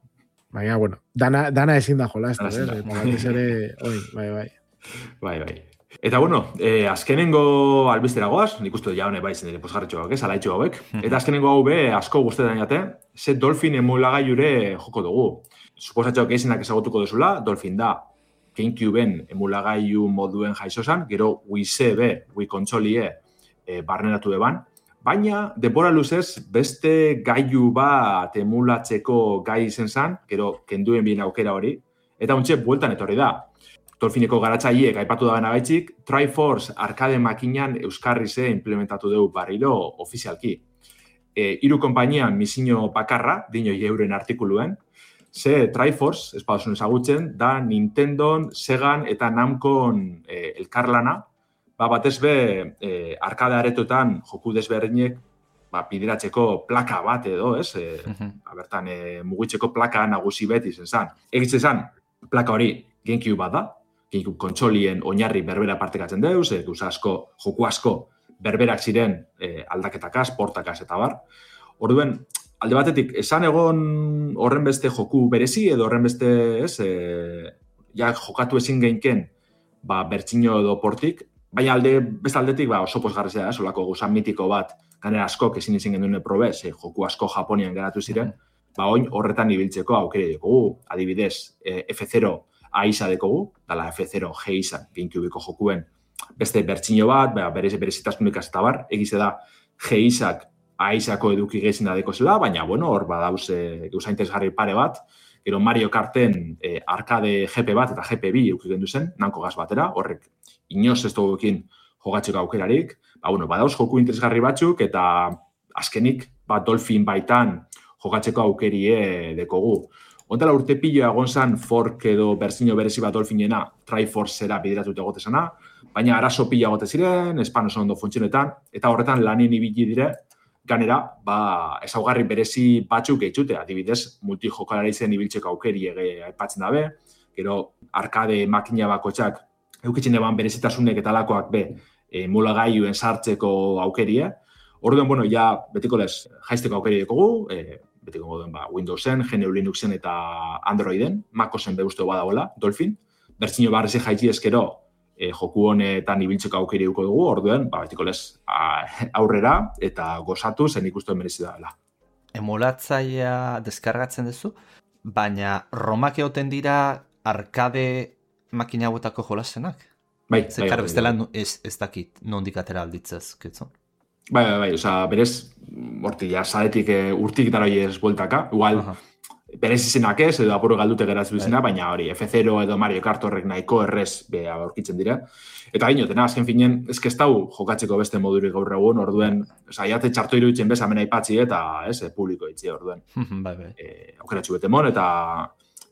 Baina, bueno, dana, dana ezin da jola, ez da, ez? Eta bat ez ere, oi, bai, bai. Bai, bai. Eta, bueno, eh, azkenengo albistera goaz, nik uste ja hone bai zen dire posgarretxo hauek, alaitxo hauek, eta azkenengo hau be asko guztetan jate, ze Dolphin emulagailure joko dugu. Suposatxo gehienak ezagutuko duzula, Dolphin da, GameCubeen emulagailu moduen jaizozan, gero Wii C B, Wii kontsolie e, barneratu eban, baina denbora luzez beste gailu bat emulatzeko gai izen zan, gero kenduen bien aukera hori, eta ontxe bueltan etorri da. Dolfineko garatzaileek aipatu da benagaitzik, Triforce arkade makinan euskarri ze implementatu dugu barriro ofizialki. E, hiru konpainian misio bakarra, dino euren artikuluen, ze Triforce, espadosun ezagutzen, da Nintendon, Segan eta Namcon e, elkarlana, ba, batez be, e, arkade aretotan joku desberdinek ba, bideratzeko plaka bat edo, ez? E, uh-huh. Bertan, e, mugitzeko plaka nagusi beti zen zan. Egitzen zan, plaka hori GameCube bat da, GameCube kontsolien oinarri berbera partekatzen deuz, e, asko, joku asko berberak ziren e, aldaketakaz, portakaz eta bar. Orduen, alde batetik, esan egon horren beste joku berezi edo horren beste, ez, e, ja jokatu ezin geinken, ba, bertxino edo portik, baina alde, beste aldetik, ba, oso posgarrizea, ez, olako guzan mitiko bat, ganera askok ezin izin gendune probez, e, joku asko Japonian geratu ziren, ba, oin horretan ibiltzeko aukere dekogu, adibidez, e, F zero A-isa dekogu, dala F zero G-isa, GameCubeko jokuen, beste bertxino bat, ba, berez, berezitasunik eta bar, egize da G-isak A-isako eduki gezin da dekozela, baina, bueno, hor badauz e, gauza interesgarri pare bat, gero Mario Karten e, arkade G P bat eta G P bi eduki gendu zen, nanko gaz batera, horrek inoz ez duguekin jogatzeko aukerarik, ba, bueno, badauz joku interesgarri batzuk, eta azkenik, ba, Dolphin baitan jogatzeko aukerie dekogu. Ontala urte piloa egon zan fork edo berzino berezi bat Dolphinena Triforcera bideratuta egotezana, baina arazo pila egote ziren, espan oso ondo funtzionetan, eta horretan lanien ibili dire, ganera, ba, ezaugarri berezi batzuk eitxute, adibidez, multijokalari zen ibiltzeko aukeri ege aipatzen dabe, gero arkade makina bakotxak eukitzen eban berezitasunek eta lakoak be, e, mulagailuen sartzeko aukerie. Orduan, bueno, ja, betiko lez, jaizteko aukeri dekogu, e, betiko goduen, ba, Windowsen, G N U Linuxen eta Androiden, Macosen beuzteo badagoela, Dolphin. Bertzino barrezi jaitzi ezkero, e, joku honetan ibiltzeko aukeri duko dugu, orduan, ba, betiko lez, aurrera eta gozatu zen ikustu merezi dela. Emulatzaia deskargatzen duzu, baina romak egoten dira arkade makina hauetako jolasenak? Bai, Zer, bai, karo, bai, bestela bai. ez, ez dakit nondik atera alditzez, kitzu? Bai, bai, bai, oza, berez, horti, ja, zaretik e, urtik dara hori ez bueltaka, igual, uh-huh. berez izenak ez, edo apuro galdute geratzu izena, bai. Baina hori, F zero edo Mario Kart horrek nahiko errez beha aurkitzen dira. Eta ginotena, azken finen, ez kestau jokatzeko beste modurik gaur egun, orduen, oza, jate txarto iruditzen bez, amena ipatzi eta, ez, publiko itzi, orduen. bai, bai. E, aukeratxu bete mon, eta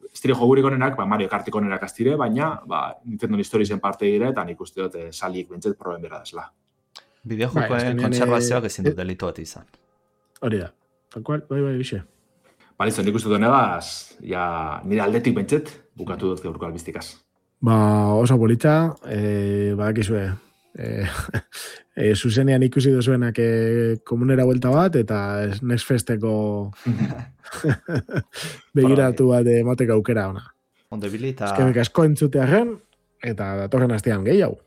estire jogurik onenak, ba, Mario Kartik onenak aztire, baina, ba, Nintendo Historiesen parte dire, eta nik uste dut salik bintzet proben bera desla. Bideojokoen kontserbazioak ezin dut delitu bat izan. Hori da. Tal cual, bai, bai, bixe. Balizo, nik uste dut honegaz, ja, nire aldetik bentzet, bukatu dut gaurko albiztikaz. Ba, oso polita, eh, badakizue, eh, eh, zuzenean ikusi dozuenak eh, komunera vuelta bat, eta Next Festeko begiratu bat emateko aukera ona. Onde bilita... Eskerrik asko entzutearen, eta datorren astean gehiago.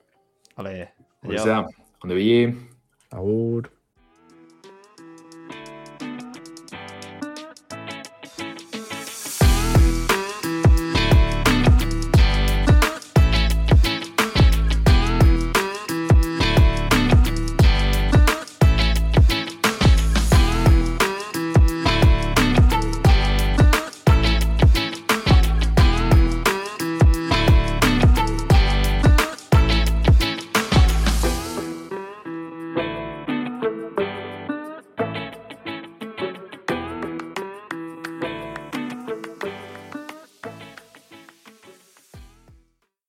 Hale, Hori zera, onde bili. Agur.